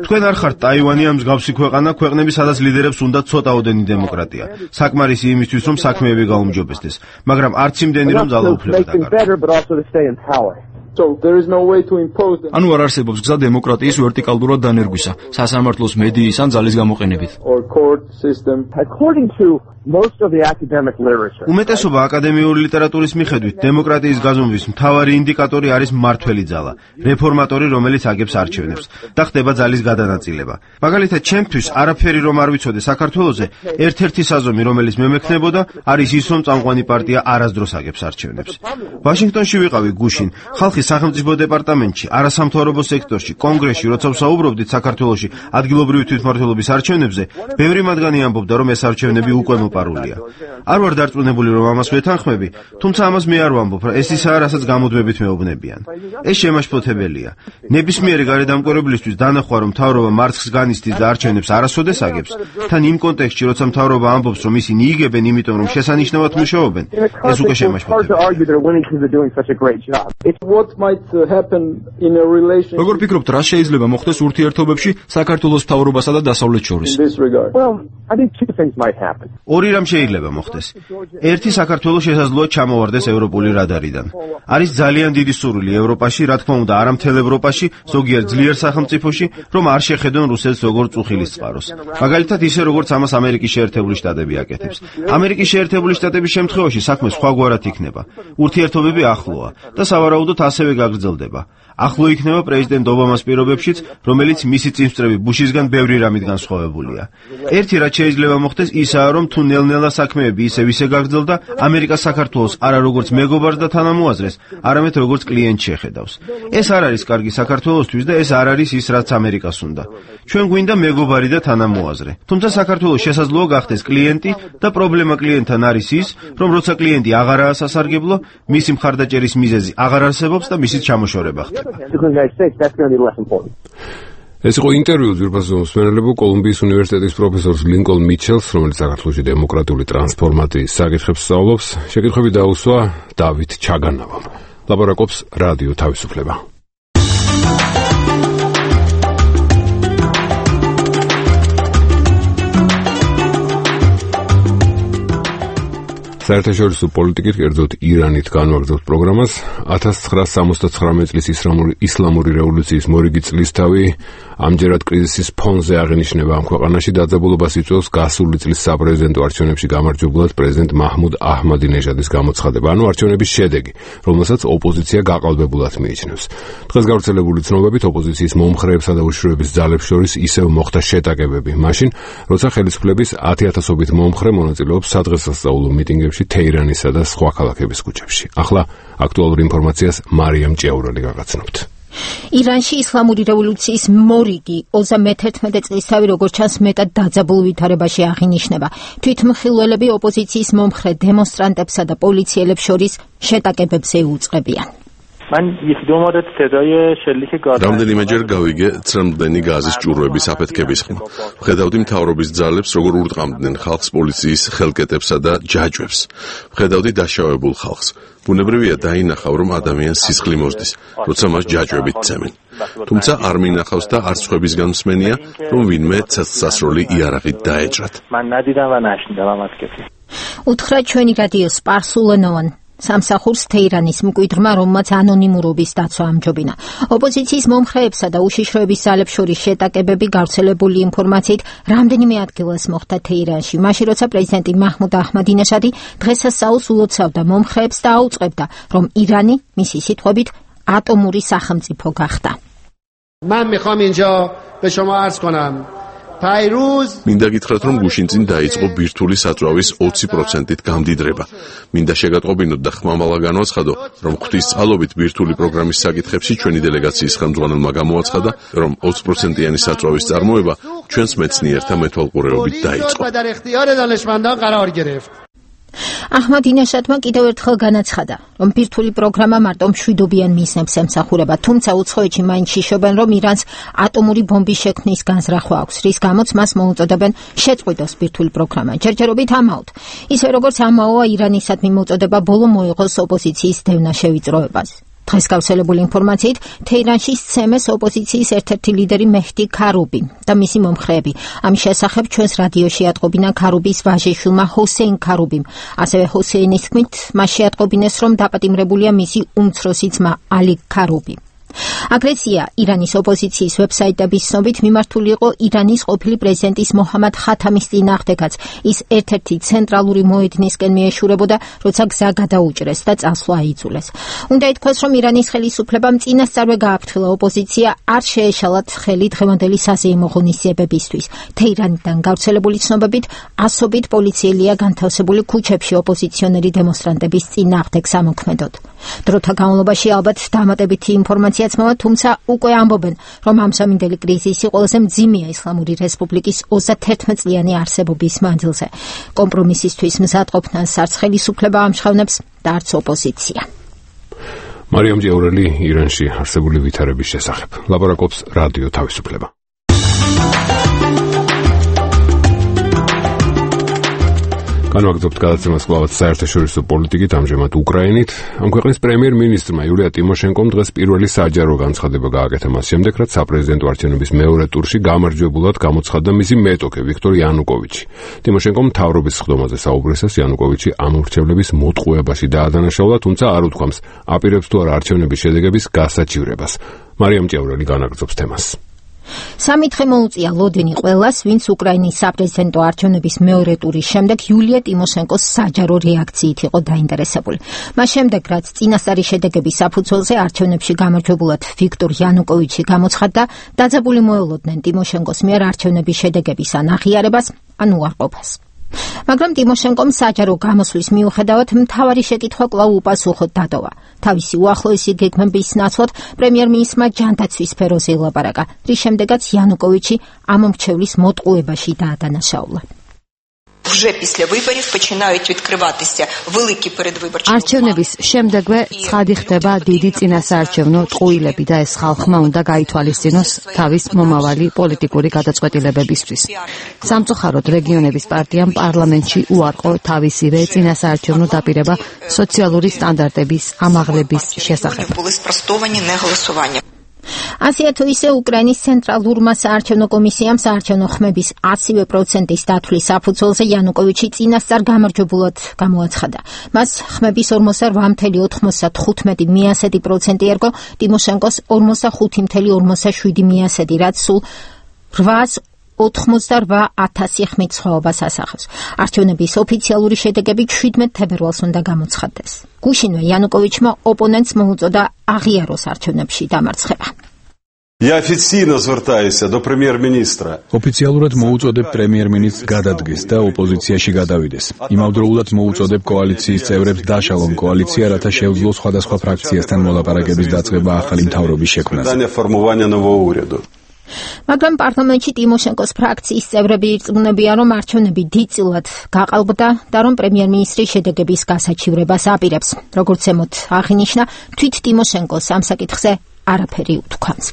თქვენ არ ხართ ტაივანი ამ მსგავსი ქვეყანა, ქვეყნები, სადაც ლიდერებს უნდა ცოტაოდენი დემოკრატია. საკმარისი იმისთვის, რომ საქმეები გაუმჯობესდეს, მაგრამ არც იმდენი, რომ ძალაუფლება დაკარგოს. So there is no way to impose them. ანუ არ არსებობს გზა დემოკრატიის ვერტიკალურად დანერგვისა, სასამართლოს მედიის ან ძალის გამოყენებით. Or court system. According to most of the academic literature. უმეტესობა აკადემიური ლიტერატურის მიხედვით დემოკრატიის გაზომვის მთავარი ინდიკატორი არის მმართველი ძალა, რეფორმატორი, რომელიც აგებს არჩევნებს და ხდება ძალის გადანაწილება. მაგალითად, ჩემთვის არაფერი რომ არ ვიცოდე საქართველოზე, ერთ-ერთი საზომი, რომელიც მემექნებოდა, არის ის, რომ წამყვანი პარტია არასდროს აგებს არჩევნებს. ვაშინგტონში ვიყავი გუშინ, ხალხი სახელმწიფო დეპარტამენტში, არასამთავრობო სექტორში, კონგრესში, როცა ვსაუბრობდით საქართველოში ადგილობრივი თვითმმართველობის არჩევნებზე, ბევრი მათგანი ამბობდა, რომ ეს არჩევნები უკვე პარულია. არ ვარ დარწმუნებული, რომ ამას ვეთანხმები, თუმცა ამას მე არ ვამბობ, რა ეს ისაა, რასაც გამოდვებით მეუბნებიან. ეს შემაშფოთებელია. ნებისმიერი გარედამკვირვებლისთვის დანახვა, რომ მთავრობა მარცხს განიცდის და არჩევნებს არასოდეს აგებს, თან იმ კონტექსტში, როცა მთავრობა ამბობს, რომ ისინი იგებენ, იმიტომ რომ შესანიშნავად მუშაობენ, ეს უკვე შემაშფოთებელია. როგორ ფიქრობთ, რა შეიძლება მოხდეს ურთიერთობებში საქართველოს მთავრობასა და დასავლეთ შორის? ორი რამ შეიძლება მოხდეს. ერთი, საქართველოს შესაძლოა ჩამოვარდეს ევროპული რადარიდან. არის ძალიან დიდი სურვილი ევროპაში, რა თქმა უნდა, არა მთელ ევროპაში, ზოგიერთ ძლიერ სახელმწიფოში, რომ არ შეხედონ რუსეთს როგორც წუხილის წყაროს. მაგალითად, ისე როგორც ამას ამერიკის შეერთებული შტატები აკეთებს. ამერიკის შეერთებული შტატების შემთხვევაში საქმე სხვაგვარად იქნება. ურთიერთობები ახლოა და სავარაუდოდ ასევე გაგრძელდება. ახლო იქნება პრეზიდენტ ობამას პირობებშიც, რომელიც მისი წინსწრები ბუშისგან ბევრი რამით განსხვავებულია. ერთი რაც შეიძლება მოხდეს ისაა, რომ თუ ნელ-ნელა საქმეები ისევ ისე გაგრძელდა, ამერიკა საქართველოს არა როგორც მეგობარს და თანამოაზრეს, არამედ როგორც კლიენტს შეხედავს. ეს არ არის კარგი საქართველოსთვის და ეს არ არის ის, რაც ამერიკას უნდა. ჩვენ გვინდა მეგობარი და თანამოაზრე. თუმცა საქართველოს შესაძლოა გახდეს კლიენტი და პრობლემა კლიენტთან არის ის, რომ როცა კლიენტი აღარაა სასარგებლო, მისი მხარდაჭერის მიზეზი აღარ არსებობს და მისი ჩამოშორება ხდება. ეს იყო ინტერვიუ ძვირფასო მსმენელებო კოლუმბიის უნივერსიტეტის პროფესორს ლინკოლ მიჩელს, რომელიც საქართველოში დემოკრატიული ტრანსფორმაციის საკითხებს სწავლობს. შეკითხვები დაუსვა დავით ჩაგანავამ. ლაპარაკობს რადიო თავისუფლება. საერთაშორისო პოლიტიკით, კერძოდ ირანით განვაგრძობთ პროგრამას. ათას ცხრაასი სამოცდათხრამეტი წლის ისლამური რევოლუციის მორიგი წლისთავი ამჯერად კრიზისის ფონზე აღინიშნება ამ ქვეყანაში. დაძაბულობას იწვევს გასული წლის საპრეზიდენტო არჩევნებში გამარჯვებულად პრეზიდენტ მაჰმუდ აჰმადინეჟადის გამოცხადება, ანუ არჩევნების შედეგი, რომელსაც ოპოზიცია გაყალბებულად მიიჩნევს. დღეს გავრცელებული ცნობებით ოპოზიციის მომხრეებსა და უშიშროების ძალებს შორის ისევ მოხდა შეტაკებები, მაშინ, როცა ხელისუფლების ათი-ათასობით მომხრე მონაწილეობს სადღესასწაულო მიტინგებში თეირანისა და სხვა ქალაქების ქუჩებში. ახლა აქტუალურ ინფორმაციას მარიამ ჭიაურელი გაგაცნობთ. ირანში ისლამური რევოლუციის მორიგი ოცდა მეთერთმეტე წლისთავი როგორც ჩანს მეტად დაძაბულ ვითარებაში აღინიშნება. თვითმხილველები ოპოზიციის მომხრე დემონსტრანტებსა და პოლიციელებს შორის შეტაკებებს ეუწყებიან. من یکی دو مورد صدای شلیک گاز რამდენიმეჯერ გავიგე ცრემლდენი გაზის ჭურვების აფეთქების ხმა. ვხედავდი მთავრობის ძალებს როგორ ურტყამდნენ ხალხს პოლიციის ხელკეტებსა და ჯაჭვებს. ვხედავდი დაშავებულ ხალხს. ბუნებრივია დაინახავ, რომ ადამიანს სისხლი მოსდის, როცა მას ჯაჭვებით ცემენ. თუმცა არ მინახავს და არც ხვებისგან მსმენია, რომ ვინმე ცეცხლსასროლი იარაღით დაეჭრათ. من ندیدم و نشنیدم هم از کسی. უთხრა ჩვენი რადიო სპარსულენოვან სამსახურს თეირანის მკვიდრმა, რომელმაც ანონიმურობის დაცვა ამჯობინა. ოპოზიციის მომხრეებსა და უშიშროების ძალებს შორის შეტაკებები გავრცელებული ინფორმაციით რამდენიმე ადგილას მოხდა თეირანში, მაშინ როცა პრეზიდენტი მაჰმუდ აჰმადინეჟადი დღესასწაულს ულოცავდა მომხრეებს და აუწყებდა, რომ ირანი, მისი სიტყვებით, ატომური სახელმწიფო გახდა. من میخوام اینجا به شما عرض کنم მინდა გითხრათ, რომ გუშინ წინ დაიწყო ბირთვული საწვავის ოცი პროცენტით გამდიდრება. მინდა შეგატყობინოთ და ხმამალა განვაცხადო, რომ ღვთისწყალობით ბირთვული პროგრამის საკითხებში ჩვენი დელეგაციის ხელმძღვანელმა გამოაცხადა, რომ ოცი პროცენტიანი საწვავის წარმოება ჩვენს მეცნიერთა მეთვალყურეობით დაიწყო. აჰმადინეშადმა კიდევ ერთხელ განაცხადა, რომ ბირთვული პროგრამა მარტო მშვიდობიან მიზნებს ემსახურება, თუმცა უცხოეთში მაინც შიშობენ, რომ ირანს ატომური ბომბის შექმნის განზრახვა აქვს, რის გამოც მას მოუწოდებენ შეწყვიტოს ბირთვული პროგრამა. ჯერჯერობით ამაოდ. ისე როგორც ამაოა ირანისადმი მოწოდება ბოლო მოიღოს ოპოზიციის დევნა შევიწროებას. დღეს გავრცელებული ინფორმაციით, თეირანში სცემეს ოპოზიციის ერთ-ერთი ლიდერი მეჰდი ქარუბი და მისი მომხრეები. ამის შესახებ ჩვენს რადიოში ატყობინა ქარუბის ვაჟიშვილმა ჰოსეინ ქარუბიმ. ასევე ჰოსეინის თქმით, მას შეატყობინეს, რომ დაპატიმრებულია მისი უმცროსი ძმა ალი ქარუბი. აგრესია ირანის ოპოზიციის ვებსაიტების ცნობით მიმართული იყო ირანის ყოფილი პრეზიდენტის მოჰამად ხათამის წინააღმდეგაც. ის ერთ-ერთი ცენტრალური მოედნისკენ მიეშურებოდა, როცა გზა გადაუჭრეს და წასვლა აიძულეს. უნდა ითქვას, რომ ირანის ხელისუფლებამ წინასწარვე გააფრთხილა ოპოზიცია არ შეეშალათ ხელი დღევანდელი საზეიმო ღონისძიებებისთვის. თეირანიდან გავრცელებული ცნობებით, ასობით პოლიციელია განთავსებული ქუჩებში ოპოზიციონერი დემონსტრანტების წინააღმდეგ სამოქმედოდ. დროთა განმავლობაში ალბათ დამატებითი ინფორმაციაც მოვა, თუმცა უკვე ამბობენ, რომ ამ სამინდელი კრიზისი ყველაზე მძიმეა ისლამური რესპუბლიკის ოცდაერთმეტ წლიანი არსებობის მანძილზე. კომპრომისისთვის მზადყოფნას არც ხელისუფლება ამჟღავნებს და არც ოპოზიცია. მარიამ ჭიაურელი ირანში არსებული ვითარების შესახებ ლაპარაკობს რადიო თავისუფლება. განვაგრძობთ გადაცემას კვლავაც საერთაშორისო პოლიტიკით, ამჟამად უკრაინით. ამ ქვეყნის პრემიერ-მინისტრმა იულია ტიმოშენკომ დღეს პირველი საჯარო განცხადება გააკეთა მას შემდეგ, რაც საპრეზიდენტო არჩევნების მეორე ტურში გამარჯვებულად გამოცხადდა მისი მეტოქე ვიქტორ იანუკოვიჩი. ტიმოშენკომ მთავრობის სხდომაზე საუბრისას იანუკოვიჩი ამ ურჩევლების მოტყუებაში დაადანაშაულა, თუმცა არ უთქვამს, აპირებს თუ არა არჩევნების შედეგების გასაჩივრებას. მარიამ ჭიაურელი განაგრძობს თემას. სამი დღე მოუწია ლოდინი ყველას, ვინც უკრაინის საპრეზიდენტო არჩევნების მეორე ტურის შემდეგ იულია ტიმოშენკოს საჯარო რეაქციით იყო დაინტერესებული. მას შემდეგ, რაც წინასწარი შედეგების საფუძველზე არჩევნებში გამარჯვებულად ვიქტორ იანუკოვიჩი გამოცხადდა, დაძაბული მოელოდნენ ტიმოშენკოს მიერ არჩევნების შედეგების ან აღიარებას, ან უარყოფას. მაგრამ ტიმოშენკომ საჯარო გამოსვლის მიუხედავად მთავარი შეკითხვა კვლავ უპასუხოდ დატოვა. თავისი უახლოესი გეგმების ნაცვლად პრემიერ-მინისტრმა ჯანდაცვის სფეროზე ილაპარაკა, რის შემდეგაც იანუკოვიჩი ამ მრჩევლის მოტყუებაში დაადანაშაულა. არჩევნების შემდეგვე ცხადი ხდება დიდი წინასაარჩევნო ტყუილები და ეს ხალხმა უნდა გაითვალისწინოს თავის მომავალი პოლიტიკური გადაწყვეტილებებისთვის. სამწუხაროდ რეგიონების პარტიამ პარლამენტში უარყო თავისივე წინასაარჩევნო დაპირება სოციალური სტანდარტების ამაღლების შესახებ. ასეა თუ ისე უკრაინის ცენტრალურმა საარჩევნო კომისიამ საარჩევნო ხმების ათივე პროცენტის დათვლის საფუძველზე იანუკოვიჩი წინასწარ გამარჯვებულად გამოაცხადა. მას ხმების ორმოცდაოთხ ოცდათხუთმეტი პროცენტი ერგო ტიმოშენკოს ორმოცდახუთი ორმოცდაშვიდი პროცენტი, რაც სულ რვაას ოთხმოცდარვა ათასი ხმით სხვაობას ასახავს. არჩევნების ოფიციალური შედეგები შვიდმეტ თებერვალს უნდა გამოცხადდეს. გუშინვე იანუკოვიჩმა ოპონენტს მოუწოდა აღიაროს არჩევნებში დამარცხება. Я официально звертаюся до премьер-министра. ოფიციალურად მოუწოდებ პრემიერ-მინისტრს გადადგეს და ოპოზიციაში გადავიდეს. იმავდროულად მოუწოდებ კოალიციის წევრებს დაშალონ კოალიცია, რათა შეუძლოს სხვადასხვა ფრაქციასთან მოლაპარაკების დაწყება ახალი მთავრობის შექმნაზე. მაგრამ პარლამენტში ტიმოშენკოს ფრაქციის წევრები ირწმუნებიან, რომ არჩევნები დიდწილად გაყალბდა და რომ პრემიერ-მინისტრის შედეგების გასაჩივრებას აპირებს. როგორც ზემოთ აღინიშნა, თვით ტიმოშენკოს ამ საკითხზე არაფერი უთქვამს.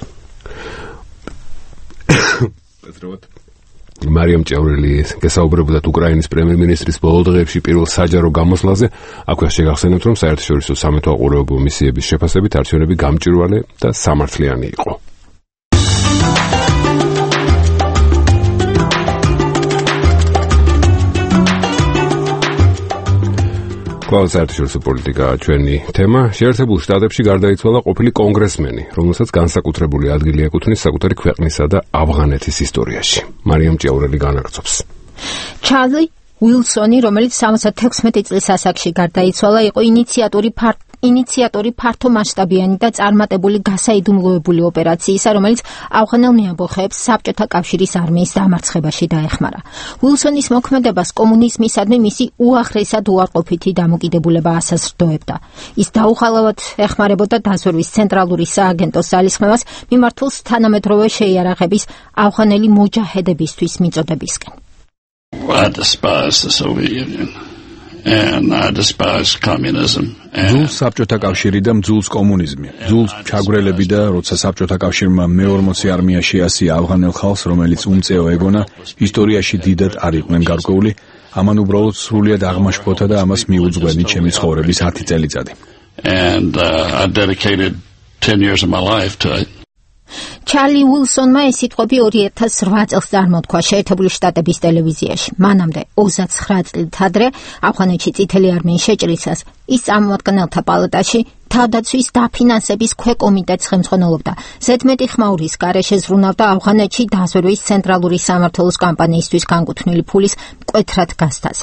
მარიამ ჭიაურელი გესაუბრებოდათ უკრაინის პრემიერ-მინისტრის ბოლო დღეებში პირველ საჯარო გამოსვლაზე. აქვე შეგახსენებთ, რომ საერთაშორისო სამეთო აყურებელ მისიების შეფასებით არჩევნები გამჭვირვალე და სამართლიანი იყო. კვლავ საერთაშორისო პოლიტიკა ჩვენი თემა. შეერთებულ შტატებში გარდაიცვალა ყოფილი კონგრესმენი, რომელსაც განსაკუთრებული ადგილი ეკუთვნის საკუთარი ქვეყნისა და ავღანეთის ისტორიაში. მარიამ ჭიაურელი განაგრძობს. ჩარლი უილსონი, რომელიც სამოცდათექვსმეტი წლის ასაკში გარდაიცვალა, იყო ინიციატორი ფარტ ინიციატორი ფართო მასშტაბიანი და წარმატებული გასაიდუმლოებული ოპერაციისა, რომელიც ავღანელ მეამბოხეებს საბჭოთა კავშირის არმიის დამარცხებაში დაეხმარა. უილსონის მოქმედებას კომუნიზმისადმი მისი უაღრესად უარყოფითი დამოკიდებულება ასაზრდოებდა. ის დაუხალავად ეხმარებოდა დაზვერვის ცენტრალური სააგენტოს ძალისხმევას მიმართულს თანამედროვე შეიარაღების ავღანელი მოჯაჰედებისთვის მიწოდებისკენ. What despised the Soviet Union. and I despise communism. ძულს საბჭოთა კავშირი და მძულს კომუნიზმი. ძულს ჩაგვრელები და როცა საბჭოთა კავშირმა მე ორმოცი არმიაში ასია ავღანელ ხალხს, რომელიც უმწეო ეგონა, ისტორიაში დიდად არ იყვნენ გარკვეული, ამან უბრალოდ სრულიად აღმაშფოთა და ამას მიუძღვენი ჩემი ცხოვრების ათი წელიწადი. And uh, I dedicated ten years of my life to it. ჩარლი უილსონმა ეს სიტყვები ორი ათას რვა წელს წარმოთქვა შეერთებული შტატების ტელევიზიაში. მანამდე ოცდაცხრა წლით ადრე ავღანეთში წითელი არმიის შეჭრისას ის წარმომადგენელთა პალატაში თავდაცვის დაფინანსების ქვეკომიტეტს ხელმძღვანელობდა. ზედმეტი ხმაურის გარეშე ზრუნავდა ავღანეთში დაზვერვის ცენტრალური სამმართველოს კამპანიისთვის განკუთვნილი ფულის მკვეთრად გასცას.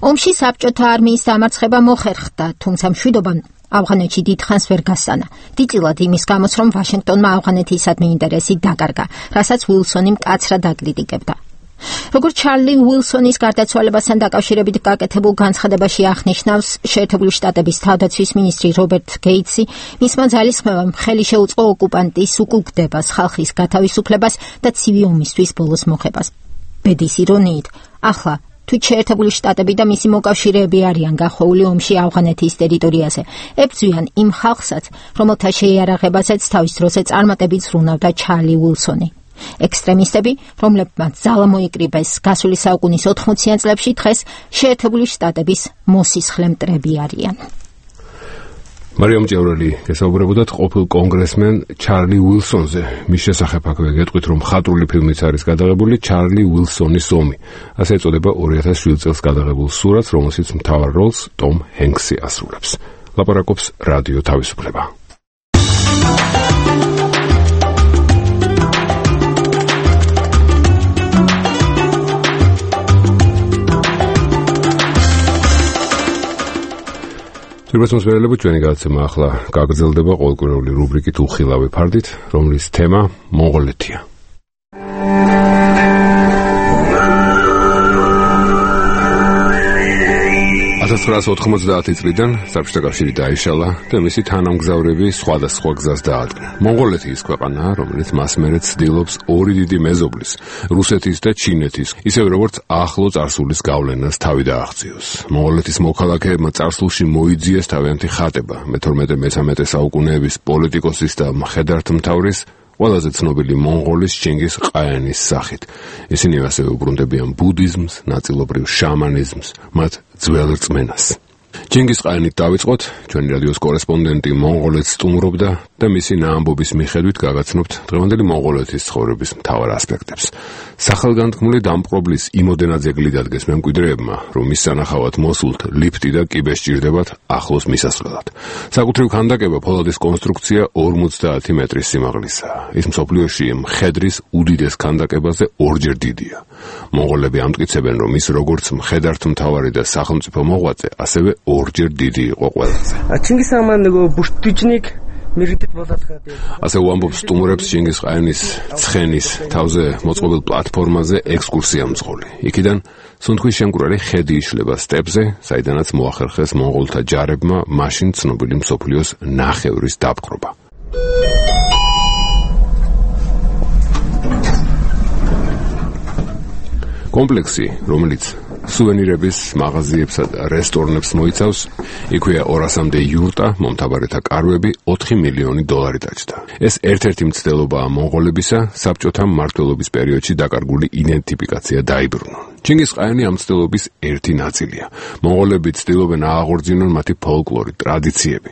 ომში საბჭოთა არმიის დამარცხება მოხერხდა, თუმცა მშვიდობამ ავღანეთში დიდხანს ვერ გასწანა. დიდწილად იმის გამოც, რომ ვაშინგტონმა ავღანეთისადმი ინტერესი დაკარგა, რასაც უილსონი მკაცრად აკრიტიკებდა. როგორც ჩარლი უილსონის გარდაცვალებასთან დაკავშირებით გაკეთებულ განცხადებაში აღნიშნავს შეერთებული შტატების თავდაცვის მინისტრი რობერტ გეიტსი, მისმა ძალისხმევამ ხელი შეუწყო ოკუპანტის უკუგდებას, ხალხის გათავისუფლებას და ცივი ომისთვის ბოლოს მოხებას. ბედის ირონიით, ახლა თუ შეერთებული შტატები და მისი მოკავშირეები არიან გახვეული ომში ავღანეთის ტერიტორიაზე, ებრძვიან იმ ხალხსაც, რომელთა შეიარაღებაზეც თავის დროზე წარმატებით ზრუნავდა ჩარლი უილსონი. ექსტრემისტები, რომლებმაც ძალა მოიკრიბეს გასული საუკუნის ოთხმოციან წლებში, დღეს შეერთებული შტატების მოსისხლე მტრები არიან. მარიამ ჭევრელი გესაუბრებოდათ ყოფილ კონგრესმენ ჩარლი უილსონზე. მის შესახებ აქვე გეტყვით, რომ მხატვრული ფილმიც არის გადაღებული ჩარლი უილსონის ომი. ასე ეწოდება ორი ათას შვიდ წელს გადაღებულ სურათს, რომელშიც მთავარ როლს ტომ ჰენქსი ასრულებს. ლაპარაკობს რადიო თავისუფლება. Პირველს მერელებო ჩვენი გადაცემა ახლა გაგრძელდება ყოველკვირეული რუბრიკით უხილავი ფარდით, რომლის თემა მონღოლეთია. ათას ცხრაასი ოთხმოცდაათი წლიდან საბჭოთა კავშირი დაიშალა და მისი თანამგზავრები სხვადასხვა გზას დაადგნენ. მონღოლეთი ის ქვეყანაა, რომელიც მას მერე ცდილობს ორი დიდი მეზობლის, რუსეთის და ჩინეთის, ისევე როგორც ახლო წარსულის გავლენას თავი დააღწიოს. მონღოლეთის მოქალაქეებმა წარსულში მოიძიეს თავიანთი ხატება მეთორმეტე მესამეტე საუკუნეების პოლიტიკოსის და მხედართმთავრის ყველაზე ცნობილი მონღოლის ჩინგის ყაენის სახით. ისინი ასევე უბრუნდებიან ბუდიზმს, ნაწილობრივ შამანიზმს, მათ ძველ რწმენას. ჩინგის ყაენით დავიწყოთ, ჩვენი რადიოს კორესპონდენტი მონღოლეთს სტუმრობდა და მისი ნაამბობის მიხედვით გაგაცნობთ დღევანდელი მონღოლეთის ცხოვრების მთავარ ასპექტებს. სახელგანთქმული დამპყრობლის იმოდენად ძეგლი დადგეს მემკვიდრეებმა, რომ მის სანახავად მოსულთ ლიფტი და კიბე სჭირდებათ ახლოს მისასვლელად. საკუთრივ ქანდაკება ფოლადის კონსტრუქცია ორმოცდაათი მეტრის სიმაღლისაა. ის მსოფლიოში მხედრის უდიდეს ქანდაკებაზე ორჯერ დიდია. მონღოლები ამტკიცებენ, რომ ის როგორც მხედართმთავარი და სახელმწიფო მოღვაწე, ასევე ორჯერ დიდი იყო ყველაზე. ჩინგის ხანა нөгөө ბუშტიჩნიკ ასე უამბობს სტუმრებს ჩინგის ყაენის ცხენის თავზე მოწყობილ პლატფორმაზე ექსკურსია მძღოლი. იქიდან სუნთქვის შემკვრელი ხედი იშლება სტეპზე, საიდანაც მოახერხეს მონღოლთა ჯარებმა მაშინ ცნობილი მსოფლიოს ნახევრის დაპყრობა. კომპლექსი, რომელიც სუვენირების მაღაზიებსა და რესტორნებს მოიცავს, იქვეა ორასამდე იურტა, მომთაბარეთა კარვები, ოთხი მილიონი დოლარი დაჯდა. ეს ერთ-ერთი მცდელობაა მონღოლებისა, საბჭოთა მმართველობის პერიოდში დაკარგული იდენტიფიკაცია დაიბრუნონ. ჩინგის ყაენი ამ მცდელობის ერთი ნაწილია. მონღოლები ცდილობენ ააღორძინონ მათი ფოლკლორი, ტრადიციები.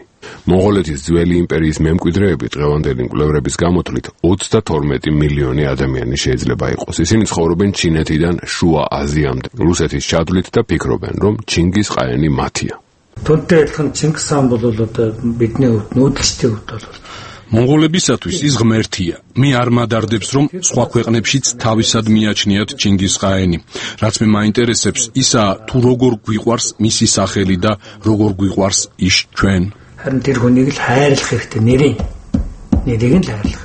მონღოლეთის ძველი იმპერიის მემკვიდრეები დღევანდელი მკვლევრების გამოთვლით ოცდათორმეტი მილიონი ადამიანი შეიძლება იყოს. ისინი ცხოვრობენ ჩინეთიდან შუა აზიამდე, რუსეთის ჩადვლით და ფიქრობენ, რომ ჩინგის ყაენი მათია. მონღოლებისათვის ის ღმერთია. მე არ მადარდებს, რომ სხვა ქვეყნებშიც თავისად მიაჩნიათ ჩინგის ყაენი. რაც მე მაინტერესებს, ისაა თუ როგორ გვიყვარს მისი სახელი და როგორ გვიყვარს ის ჩვენ. харин тэр хүнийг л хайрлах хэрэгтэй нэрээ нэрийг нь хайрлах.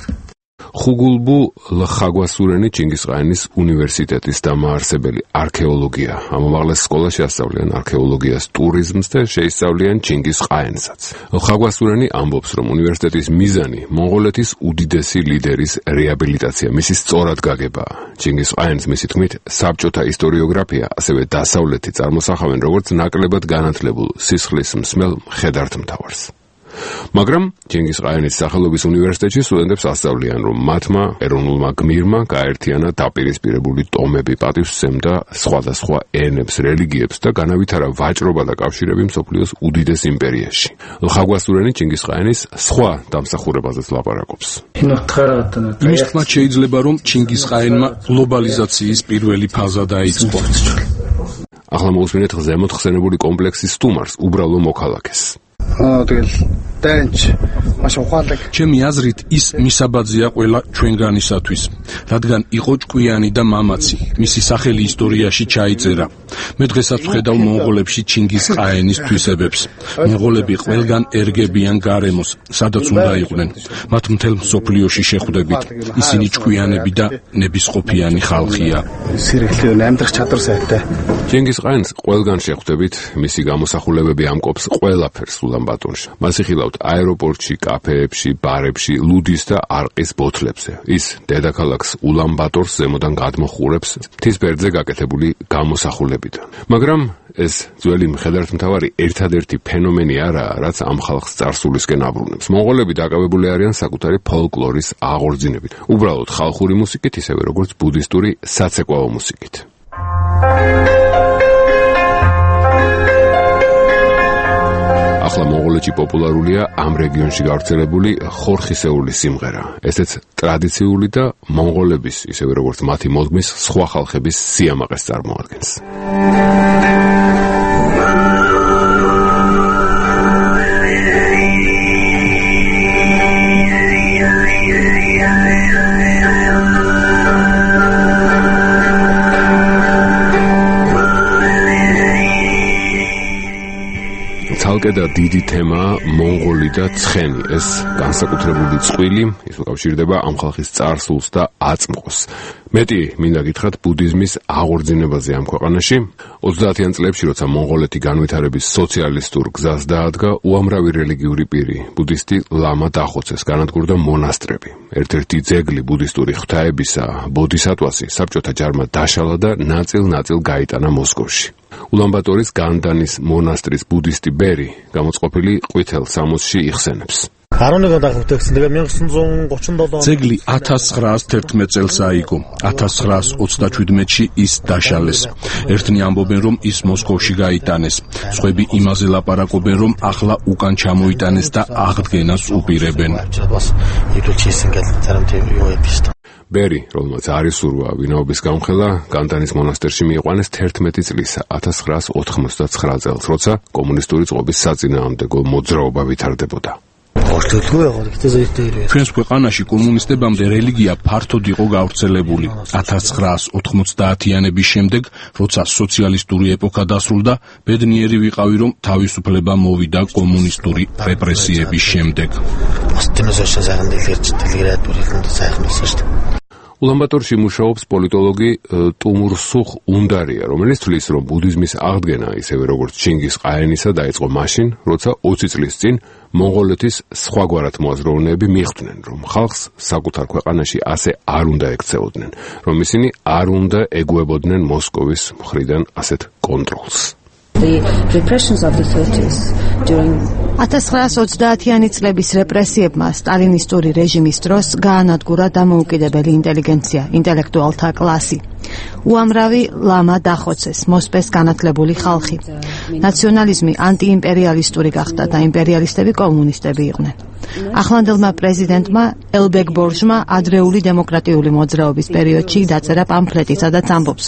ხუგულბუ ლხაგვასურენი ჩინგისყაენის უნივერსიტეტის დამაარსებელი არქეოლოგია. ამ უმაღლეს სკოლაში ასწავლიან არქეოლოგიას, ტურიზმს და შეისწავლიან ჩინგისყაენსაც. ლხაგვასურენი ამბობს, რომ უნივერსიტეტის მიზანი მონღოლეთის უდიდესი ლიდერის რეაბილიტაცია, მისი სწორად გაგებაა. ჩინგისყაენს მისი თქმით, საბჭოთა ისტორიოგრაფია, ასევე დასავლეთი წარმოსახავენ როგორც ნაკლებად განათლებულ სისხლის მსმელ მხედართმთავარს. მაგრამ ჩინგისყაენის სახელობის უნივერსიტეტში სტუდენტებს ასწავლიან, რომ მათმა ეროვნულმა გმირმა გააერთიანა დაპირისპირებული ტომები, პატივსცემდა სხვადასხვა ენებს, რელიგიებს და განავითარა ვაჭრობა და კავშირები მსოფლიოს უდიდეს იმპერიაში. ლხაგვასურენი ჩინგისყაენის სხვა დამსახურებაზეც ლაპარაკობს. იმის თქმით შეიძლება, რომ ჩინგისყაენმა გლობალიზაციის პირველი ფაზა დაიწყო. ახლა მოусმინეთ ზემოთ ხსენებული კომპლექსის სტუმარს, უბრალო მოქალაქეს. ჩემი აზრით ის მისაბაძია ყველა ჩვენგანისათვის, რადგან იყო ჭკვიანი და მამაცი, მისი სახელი ისტორიაში ჩაიწერა. მე დღესაც ვხედავ მონღოლებში ჩინგისყაენის თვისებებს. მონღოლები ყველგან ერგებიან გარემოს, სადაც უნდა იყვნენ. მათ მთელ მსოფლიოში შეხვდებით. ისინი ჭკვიანები და ნებისყოფიანი ხალხია. ჩინგისყაენს ყველგან შეხვდებით, მისი გამოსახულებები ამკობს ყველაფერს ულანბატორში. მას იხილავთ აეროპორტში, კაფეებში, ბარებში, ლუდის და არყის ბოთლებზე. ის დედაქალაქს ულანბატორს ზემოდან გადმოხურებს მთის ფერდზე გაკეთებული გამოსახულებიდან. მაგრამ ეს ძველი მხედართმთავარი ერთადერთი ფენომენი არაა, რაც ამ ხალხს წარსულისკენ აბრუნებს. მონღოლები დაკავებული არიან საკუთარი ფოლკლორის აღორძინებით. უბრალოდ ხალხური მუსიკით, ისევე როგორც ბუდისტური საცეკვაო მუსიკით. ახლა მონღოლეთში პოპულარულია ამ რეგიონში გავრცელებული ხორხისეული სიმღერა. ესეც ტრადიციული და მონღოლების, ისევე როგორც მათი მოდგმის სხვა ხალხების სიამაყეს წარმოადგენს. ცალკე და დიდი თემაა მონღოლი და ცხენი. ეს განსაკუთრებული წყვილი, ის უკავშირდება ამ ხალხის წარსულს და აწმყოს. მეტი მინდა გითხრათ ბუდიზმის აღორძინებაზე ამ ქვეყანაში. ოცდაათიან წლებში, როცა მონღოლეთი განვითარების სოციალისტურ გზას დაადგა, უამრავი რელიგიური პირი, ბუდისტი ლამა დახოცეს, განადგურდა მონასტრები. ერთ-ერთი ძეგლი ბუდისტური ღვთაებისა, ბოდისატვასი, საბჭოთა ჯარმა დაშალა და ნაწილ-ნაწილ გაიტანა მოსკოვში. ულანბატორის განდანის მონასტრის ბუდისტი ბერი გამოწყობილი ყვითელ სამოსში იხსენებს. ძეგლი ათას ცხრაას თერთმეტ წელს აიგო. ათას ცხრაას ოცდაჩვიდმეტში ის დაშალეს. ერთნი ამბობენ, რომ ის მოსკოვში გაიტანეს. სხვები იმაზე ლაპარაკობენ, რომ ახლა უკან ჩამოიტანეს და აღდგენას უპირებენ. ბერი, რომელმაც არ ისურვა ვინაობის გამხელა, განდანის მონასტერში მიიყვანეს თერთმეტი წლისა, ათას ცხრაას ოთხმოცდაცხრა წელს, როცა კომუნისტური წყობის საწინააღმდეგო მოძრაობა ვითარდებოდა. ჩვენს ქვეყანაში კომუნისტებამდე რელიგია ფართოდ იყო გავრცელებული. ათას ცხრაას ოთხმოცდაათიანების შემდეგ, როცა სოციალისტური ეპოქა დასრულდა, ბედნიერი ვიყავი, რომ თავისუფლება მოვიდა კომუნისტური რეპრესიების შემდეგ. ულანბატორში მუშაობს პოლიტოლოგი ტუმურსუხ უნდარია, რომელიც თვლის, რომ ბუდიზმის აღდგენა, ისევე როგორც ჩინგისყაენისა, დაიწყო მაშინ, როცა ოცი წლის წინ მონღოლეთის სხვაგვარად მოაზროვნეები მიხვდნენ, რომ ხალხს საკუთარ ქვეყანაში ასე არ უნდა ექცეოდნენ, რომ ისინი არ უნდა ეგუებოდნენ მოსკოვის მხრიდან ასეთ კონტროლს. ათას ცხრაას ოცდაათიანი წლების რეპრესიებმა სტალინისტური რეჟიმის დროს გაანადგურა დამოუკიდებელი ინტელიგენცია, ინტელექტუალთა კლასი. უამრავი ლამა დახოცეს, მოსპეს განათლებული ხალხი. ნაციონალიზმი ანტიიმპერიალისტური გახდა და იმპერიალისტები კომუნისტები იყვნენ. ახლანდელმა პრეზიდენტმა ელბეგ ბორჟმა ადრეული დემოკრატიული მოძრაობის პერიოდში დაწერა პამფლეტი, სადაც ამბობს: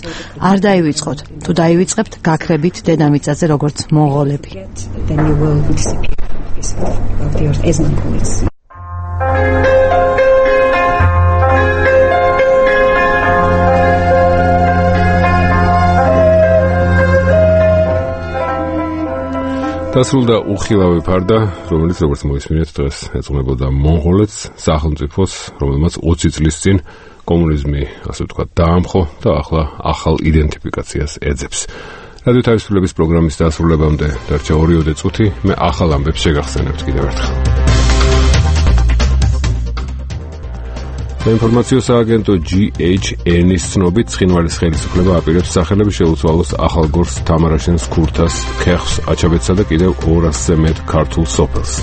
არ დაივიწყოთ, თუ დაივიწყებთ, გაქრებით დედამიწაზე როგორც მონღოლები. დასრულდა უხილავი ფარდა, რომელიც როგორც მოისმინეთ დღეს ეძღვნებოდა მონღოლეთს, სახელმწიფოს, რომელმაც ოცი წლის წინ კომუნიზმი, ასე ვთქვათ, დაამხო და ახლა ახალ იდენტიფიკაციას ეძებს. რადიო თავისუფლების პროგრამის დასრულებამდე დარჩა ორიოდე წუთი, მე ახალ ამბებს შეგახსენებთ კიდევ ერთხელ. საინფორმაციო სააგენტო ჯი ეიჩ ენ-ის ცნობით ცხინვალის ხელისუფლება აპირებს სახელები შეუცვალოს ახალ გორს თამარაშენს ქურთას, ქეხს, აჩაბეთსა და კიდევ ორასზე მეტ ქართულ სოფელს.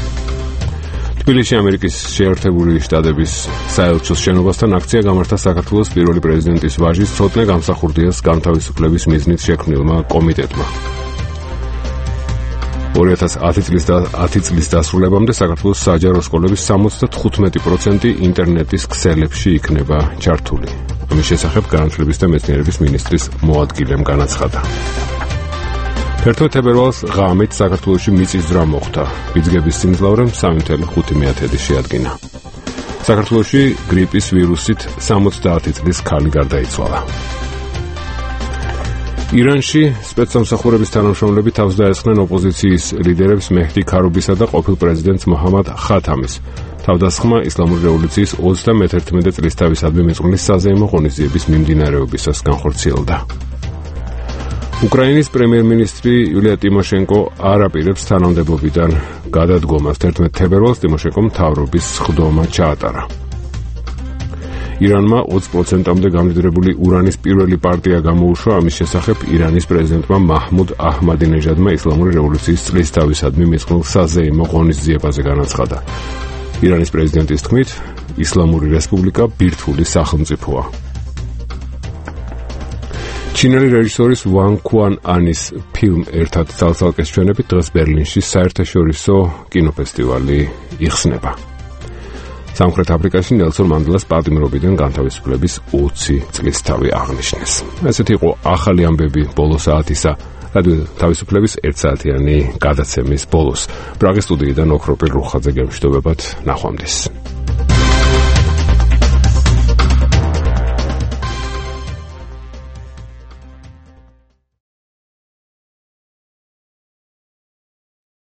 თბილისში ამერიკის შეერთებული შტატების საელჩოს შენობასთან აქცია გამართა საქართველოს პირველი პრეზიდენტის ვაჟის ცოტნე გამსახურდიას განთავისუფლების მიზნით შექმნილმა კომიტეტმა. ორი ათას ათი წლის დასრულებამდე საქართველოს საჯარო სკოლების სამოცდათხუთმეტი პროცენტი ინტერნეტის ქსელებში იქნება ჩართული. ამის შესახებ განათლების და მეცნიერების მინისტრის მოადგილემ განაცხადა. თერთმეტ თებერვალს ღამით საქართველოში მიწისძვრა მოხდა. ბიძგების სიმძლავრემ სამი წუთი ხუთი მეათედი შეადგინა. საქართველოში გრიპის ვირუსით სამოცდაათი წლის ქალი გარდაიცვალა. ირანში სპეცსამსახურების თანამშრომლები თავს დაესხნენ ოპოზიციის ლიდერებს მეჰდი ქარუბისა და ყოფილ პრეზიდენტს მოჰამად ხათამის. თავდასხმა ისლამური რევოლუციის ოცდამეთერთმეტე წლისთავისადმი მიწყვილის საზეიმო ღონისძიების მიმდინარეობისას განხორციელდა. უკრაინის პრემიერ-მინისტრი იულია ტიმოშენკო არ აპირებს თანამდებობიდან გადადგომას. თერთმეტ თებერვალს ტიმოშენკომ მთავრობის სხდომა ჩაატარა. ირანმა ოცი პროცენტამდე გამდიდრებული ურანის პირველი პარტია გამოუშვა. ამის შესახებ ირანის პრეზიდენტმა მაჰმუდ აჰმადინეჟადმა ისლამური რევოლუციის წლისთავისადმი მიწყვილ საზეიმო ღონისძიებაზე განაცხადა. ირანის პრეზიდენტის თქმით, ისლამური რესპუბლიკა ბირთვული სახელმწიფოა. ჩინელი რეჟისორის ვან ქუან ანის ფილმ ერთად ცალ-ცალკეს ჩვენებით დღეს ბერლინში საერთაშორისო კინოფესტივალი იხსნება. სამხრეთ აფრიკაში ნელსონ მანდელას პატიმრობიდან განთავისუფლების ოცი წლისთავი აღნიშნეს. ესეთი იყო ახალი ამბები ბოლო საათისა რადიო თავისუფლების ერთსაათიანი გადაცემის ბოლოს. პრაღის სტუდიიდან ოქროპირ რუხაძე გემშვიდობებად, ნახვამდის.